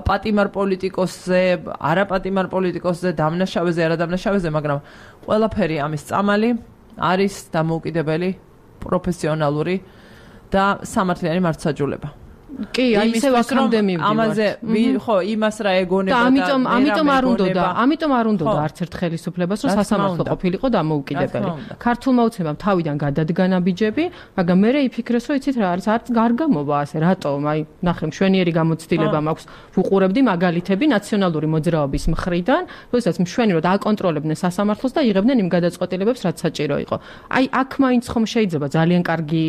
პატიმარ პოლიტიკოსზე არა პატიმარ პოლიტიკოსზე დამნაშავეზე არა დამნაშავეზე მაგრამ ყველაფერი ამის წამალი არის დამოუკიდებელი პროფესიონალური და სამართლიანი მართლმსაჯულება. კი, აი ისე ვაქამდე მივდივართ. ამაზე ხო, იმას რა ეგონება და ამიტომ ამიტომ არ უნდოდა, ამიტომ არ უნდოდა არც ერთ ხელისუფლებას, რომ სასამართლო ყოფილიყო დამოუკიდებელი. ქართულმა უცნებამ თავიდან გადადგა ნაბიჯები, მაგრამ მე იფიქრეს, რომ იცით რა არის, არც გარგამოვა ასე, რატომ? აი, ნახე, მშვენიერი გამოცდილება მაქვს. ვუყურებდი მაგალითები ნაციონალური მოძრაობის მხრიდან, როდესაც მშვენიერად აკონტროლებდნენ სასამართლოს და იღებდნენ იმ გადაწყვეტილებებს, რაც საჭირო იყო. აი, აქ მაინც ხომ შეიძლება ძალიან კარგი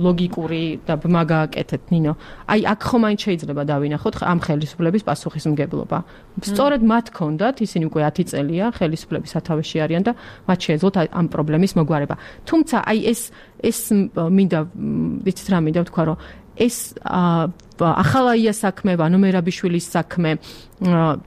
ლოგიკური და ბმა გააკეთეთ. ნინო, აი აქ ხომ მაინც შეიძლება დავინახოთ ამ ხელისუფლების პასუხისმგებლობა. სწორედ მათ ჰქონდათ, ისინი უკვე ათი წელია ხელისუფლების სათავეში არიან და მათ შეეძლოთ ამ პრობლემის მოგვარება. თუმცა აი ეს ეს მინდა ვიცით რა მინდა ვთქვა, რომ ეს ახალაია საქმე, ვანო მერაბიშვილის საქმე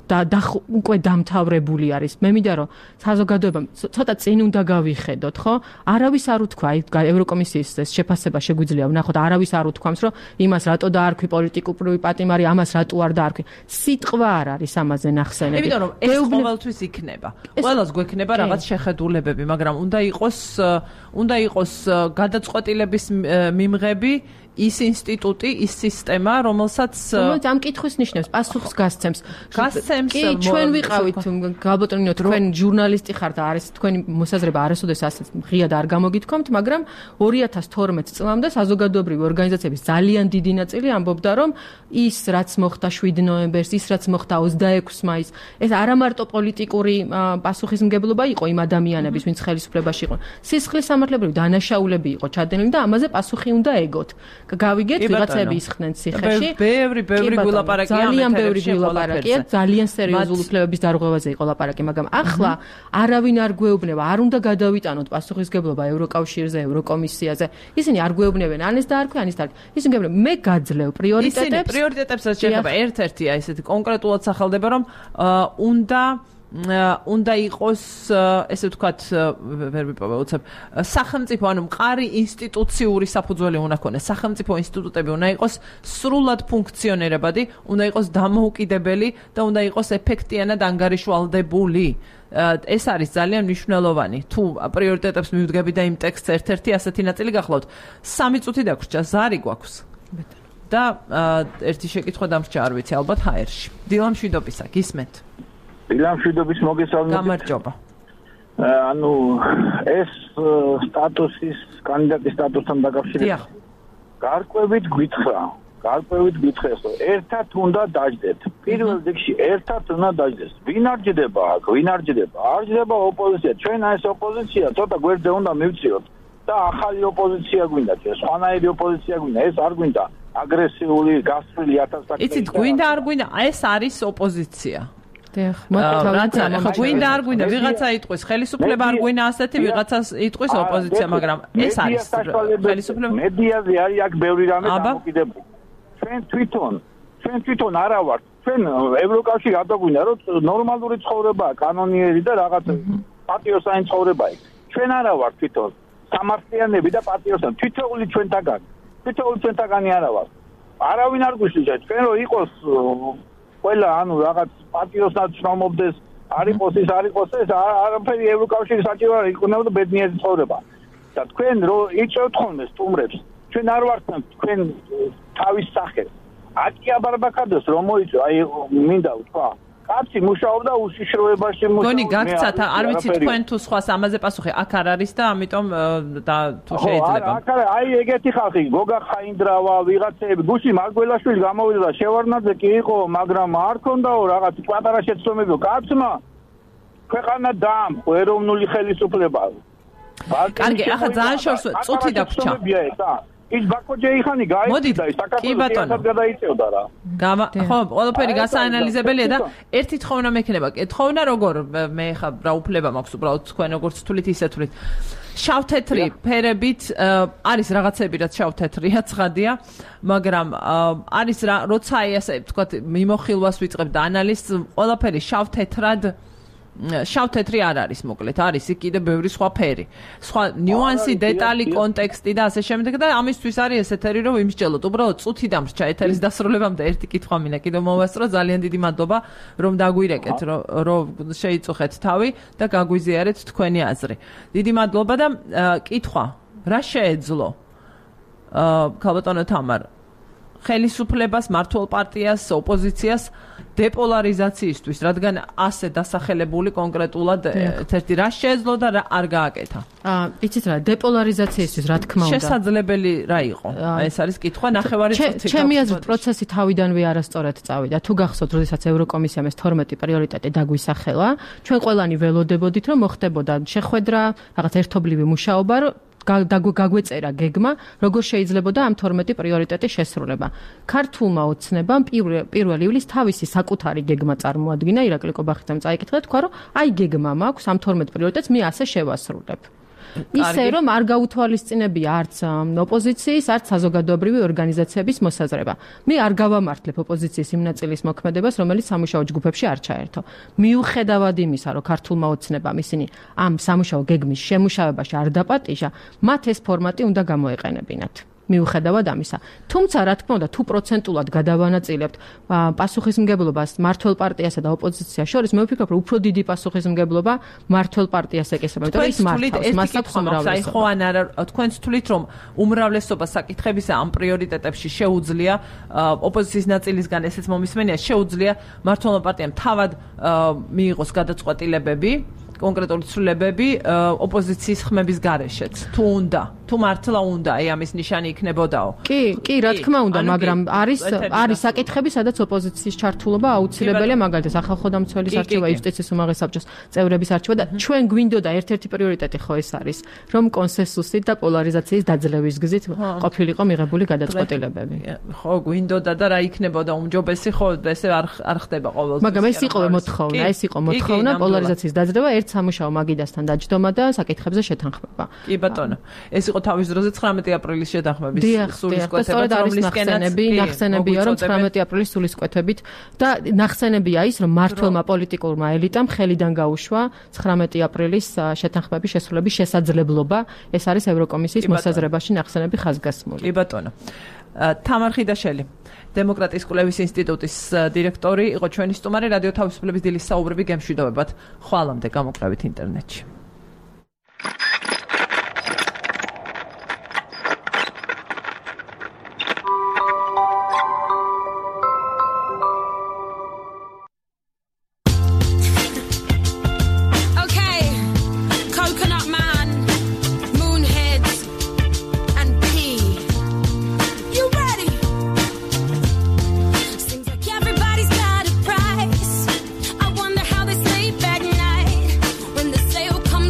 და უკვე დამთავრებული არის. მე მინდა რომ საზოგადოებამ ცოტა წინ უნდა გავიხედოთ, ხო? არავის არ უთქვა, აი ევროკომისიის ეს შეფასება შეგვიძლია ვნახოთ, არავის არ უთქვამს, რომ იმას რატო დაარქვი პოლიტიკური პატიმარი, ამას რატო არ დაარქვი. სიტყვა არ არის ამაზე ნახსენები. იმიტომ რომ ეს ყოველთვის იქნება. ყველას გვექნება რაღაც შეხედულებები, მაგრამ უნდა იყოს უნდა იყოს გადაწყვეტილების მიმღები ის ინსტიტუტი, ის სისტემა, რომელსაც რომელიც ამ კითხვის ნიშნებს, პასუხს გასცემს. გასცემს. კი, ჩვენ ვიყავით გაბატონინო, თქვენ ჟურნალისტი ხართ და არის თქვენი მოსაზრება არასოდეს ასეც ღიად არ გამოგითქვამთ, მაგრამ ორი ათას თორმეტ წლამდე საზოგადოებრივი ორგანიზაციების ძალიან დიდი ნაწილი ამბობდა, რომ ის რაც მოხდა შვიდ ნოემბერს, ის რაც მოხდა ოცდაექვსი მაისს, ეს არა მარტო პოლიტიკური პასუხისმგებლობა იყო იმ ადამიანების, ვინც ხელისუფლებაში იყვნენ. სისხლის სამართლებრივი დანაშაულები იყო ჩადენილი და ამაზე პასუხი უნდა ეგოთ. გავიგეთ, ვიღაცები ისხდნენ ციხეში. ბევრი, ბევრი გულაპარაკია, ძალიან ბევრი გულაპარაკია, ძალიან სერიოზული უფლებების დარღვევაზე იყო ლაპარაკი, მაგრამ ახლა არავინ არ გვეუბნება, არ უნდა გადავიტანოთ პასუხისმგებლობა ევროკავშირზე, ევროკომისიაზე. ისინი არ გვეუბნებენ, ან ეს დაარქვი, ან ის დაარქვი. ისინი გვეუბნებენ, მე გაძლევ პრიორიტეტებს. ისინი პრიორიტეტებსაც შეეხება ერთ-ერთია ესეთი კონკრეტულად სახელდება, რომ უნდა უნდა იყოს ესე ვთქვათ ვერ ვიპოვე უცებ სახელმწიფო ანუ მყარი ინსტიტუციური საფუძველი უნდა ქონდეს სახელმწიფო ინსტიტუტები უნდა იყოს სრულად ფუნქციონირებადი უნდა იყოს დამოუკიდებელი და უნდა იყოს ეფექტიანად ანგარიშვალდებული ეს არის ძალიან მნიშვნელოვანი თუ პრიორიტეტებს მივდგები და იმ ტექსტს ერთ-ერთი ასეთი ნაწილი გახლავთ სამი წუთი დაგვრჩა ზარი გვაქვს და ერთი შეკითხვა დამრჩა არ ვიცი ალბათ ჰაერში დილა მშვიდობისა გისმენთ დილამშვიდობის მოგესალმებით. გამარჯობა. ანუ ეს სტატუსის კანდიდატის სტატუსთან დაკავშირებით. გარკვევით გვითხრა, გარკვევით გვითხრეს, რომ ერთად უნდა დაждდეთ. პირველ რიგში ერთად უნდა დაждდეს. ვინ არ ჯდება აქ, ვინ არ ჯდება? არ ჯდება ოპოზიცია. ჩვენ ეს ოპოზიცია ცოტა გვერდზე უნდა მივწიოთ და ახალი ოპოზიცია გვინდა, სხვანაირი ოპოზიცია გვინდა, ეს არ გვინდა აგრესიული, გასწრილი ათასაკი. იცით, გვინდა არ გვინდა, ეს არის ოპოზიცია. რაცა გვინდა არ გვინდა ვიღაცა იტყვის ხელისუფლება არ გვინდა ასეთი ვიღაცას იტყვის ოპოზიცია მაგრამ ეს არის ხელისუფლება მედიაზე არის აქ ბევრი რამე დამოკიდებული ჩვენ თვითონ ჩვენ თვითონ არა ვართ ჩვენ ევროკავშირი არ დაგვინდა რომ ნორმალური ცხოვრებაა კანონიერი და რაღაც პატიოსანი ცხოვრება იქ ჩვენ არა ვართ თვითონ სამართლიანები და პატიოსანი თითოეული ჩვენთაგანი თითოეული ჩვენთაგანი არა ვართ არავინ არ გვიშლიათ ჩვენ რომ იყოს ყველა ანუ რაღაც პატიოსად შრომობდეს არ იყოს ის არ იყოს ეს არაფერი ევროკავშირი საჭირო არ იქნებოდა ბედნიერი ცხოვრება და თქვენ რო იწევთ ხოლმე სტუმრებს ჩვენ არ ვართ თქვენ თავის სახეს აკია ბარბაკადეს რომ მოიწევ აი მინდა ვთქვა კაცი მუშაობდა უშიშროებაში მუშაობდა გონი გაგცათ არ ვიცი თქვენ თუ სხვას ამაზე პასუხი აქ არ არის და ამიტომ და თუ შეიძლება აქ აი ეგეთი ხალხი გოგა ხაინდრავა ვიღაცები გუში მარგველაშვილი გამოვიდა და შევარნაძე კი იყო მაგრამ არ ქონდაო რაღაც პატარა შეცდომები კაცმა ქვეყანა დაამხო ეროვნული ხელისუფლება კარგი ახლა ძალიან შორს წუთი დაგვრჩა ის ბაკოჯეიხანი გაიწვია ის საქართველოს გადაიწევდა რა. ხო, ყველაფერი გასაანალიზებელია და ერთი თხოვნა მექნება. თხოვნა როგორ მე ხა რა უფლება მაქვს უბრალოდ თქვენ როგორც თulit ისე თulit. შავ-თეთრი ფერებით არის რაღაცები რაც შავ-თეთრია, ცხადია, მაგრამ არის როცა აი ასე ვთქვათ მიმოხილვას ვიწყებ და ანალიზს ყველაფერი შავ-თეთრად შავ-თეთრი არ არის მოკლედ, არის იქ კიდე ბევრი სხვა ფერი. სხვა ნიუანსი, დეტალი, კონტექსტი და ასე შემდეგ და ამისთვის არის ესეთერი რომ იმსჯელოთ. უბრალოდ წუთი დამრჩა ეთერის დასრულებამდე ერთი კითხვა მინდა კიდევ მოვასწრო. ძალიან დიდი მადლობა რომ დაგვირეკეთ, რომ შეიწუხეთ თავი და გაგვიზიარეთ თქვენი აზრი. დიდი მადლობა და კითხვა, რა შეეძლო ქალბატონო თამარ ხელისუფლებას, მართლ პარტიას, ოპოზიციას დეპოლარიზაციისთვის, რადგან ასე დასახელებული კონკრეტულად ერთ-ერთი რა შეეძლო და რა არ გააკეთა? აა, იცით რა, დეპოლარიზაციისთვის რა თქმა უნდა. შესაძლებელი რა იყო? ეს არის კითხვა, ნახევარი წუთი. ჩემი აზრით, პროცესი თავიდანვე არასწორად წავიდა. თუ გახსოვთ, როდესაც ევროკომისიამ ეს თორმეტი პრიორიტეტი დაგვისახელა, ჩვენ ყველანი ველოდებოდით, რომ მოხდებოდა შეხვედრა, რაღაც ერთობლივი მუშაობა, გაგვეწერა გეგმა, როგორ შეიძლებოდა ამ თორმეტი პრიორიტეტის შესრულება. ქართულმა ოცნებამ პირველ ივლისს თავისი საკუთარი გეგმა წარმოადგინა, ირაკლი კობახიძემ წაიკითხა, თქვა, რომ აი გეგმა მაქვს ამ თორმეტ პრიორიტეტს, მე ასე შევასრულებ. ისე რომ არ გაუთვალისწინებია არც ოპოზიციის, არც საზოგადოებრივი ორგანიზაციების მოსაზრება. მე არ გავამართლებ ოპოზიციის იმ ნაწილის მოქმედებას, რომელიც სამუშაო ჯგუფებში არ ჩაერთო. მიუხედავად იმისა, რომ ქართულმა ოცნებამ ისინი ამ სამუშაო გეგმის შემუშავებაში არ დაპატიჟა, მათ ეს ფორმატი უნდა გამოეყენებინათ. მიუხედავად ამისა. თუმცა, რა თქმა უნდა, თუ პროცენტულად გადავანაწილებთ პასუხისმგებლობას მართლ პარტიასა და ოპოზიციას შორის, მე ვფიქრობ, რომ უფრო დიდი პასუხისმგებლობა მართლ პარტიას ეკისრება, იმიტომ რომ ის მართავს, მას აქვს უმრავლესობა. ხო ან არა, თქვენც თვლით, რომ უმრავლესობა საკითხებისა ამ პრიორიტეტებში შეუძლია ოპოზიციის ნაწილისგან ესეც მომისმენია, შეუძლია მართლმა პარტიამ თავად მიიღოს გადაწყვეტილებები, კონკრეტული ცვლილებები ოპოზიციის ხმების გარეშეც. თუ უნდა, თუ მართლა უნდა, აი ამის ნიშანი იქნებოდაო. კი, კი, რა თქმა უნდა, მაგრამ არის არის საკითხები, სადაც ოპოზიციის ჩართულობა აუცილებელია, მაგალითად, სახალხო დამცველის არჩევა, იუსტიციის უმაღლეს საბჭოს წევრების არჩევა და ჩვენ გვინდოდა ერთ-ერთი პრიორიტეტი ხო ეს არის, რომ კონსენსუსით და პოლარიზაციის დაძლევის გზით ყოფილიყო მიღებული გადაწყვეტილებები. ხო, გვინდოდა და რა იქნებოდა უმჯობესი, ხო, ესე არ არ ხდება ყოველთვის. მაგრამ ეს იყო მოთხოვნა, ეს იყო მოთხოვნა პოლარიზაციის დაძლევა ერთ სამუშაო მაგიდასთან დაჯდომა და საკითხებზე შეთანხმება. კი ბატონო. ეს იყო თავის დროზე ცხრამეტი აპრილის შეთანხმების სულისკვეთება, რომლისკენაც ნახსენებია, რომ ცხრამეტი აპრილის სულისკვეთებით და ნახსენებია ის, რომ მართლმა პოლიტიკურმა ელიტამ ხელიდან გაუშვა ცხრამეტი აპრილის შეთანხმების შესრულების შესაძლებლობა. ეს არის ევროკომისიის მოსაზრებაში ნახსენები ხაზგასმული. კი ბატონო. თამარ ხიდაშელი, დემოკრატიის კვლევის ინსტიტუტის დირექტორი, იყო ჩვენი სტუმარი რადიო თავისუფლების დილის საუბრები გემშვიდობებად. ხვალამდე გამოკვლევით ინტერნეტში. When the sale comes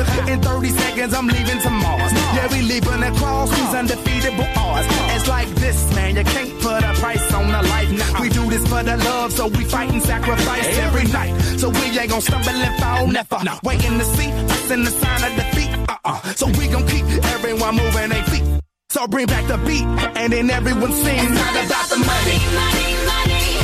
Within thirty seconds, I'm leaving to Mars. Yeah, we leaving across these undefeatable odds. It's like this, man, you can't put a price on a life. Nah, we do this for the love, so we fight and sacrifice every night. So we ain't gon' stumble and fall, never. Waiting to see us in the sign of defeat. Uh-uh. So we gon' keep everyone moving their feet. So bring back the beat, and then everyone sings. It's not about the money, money, money.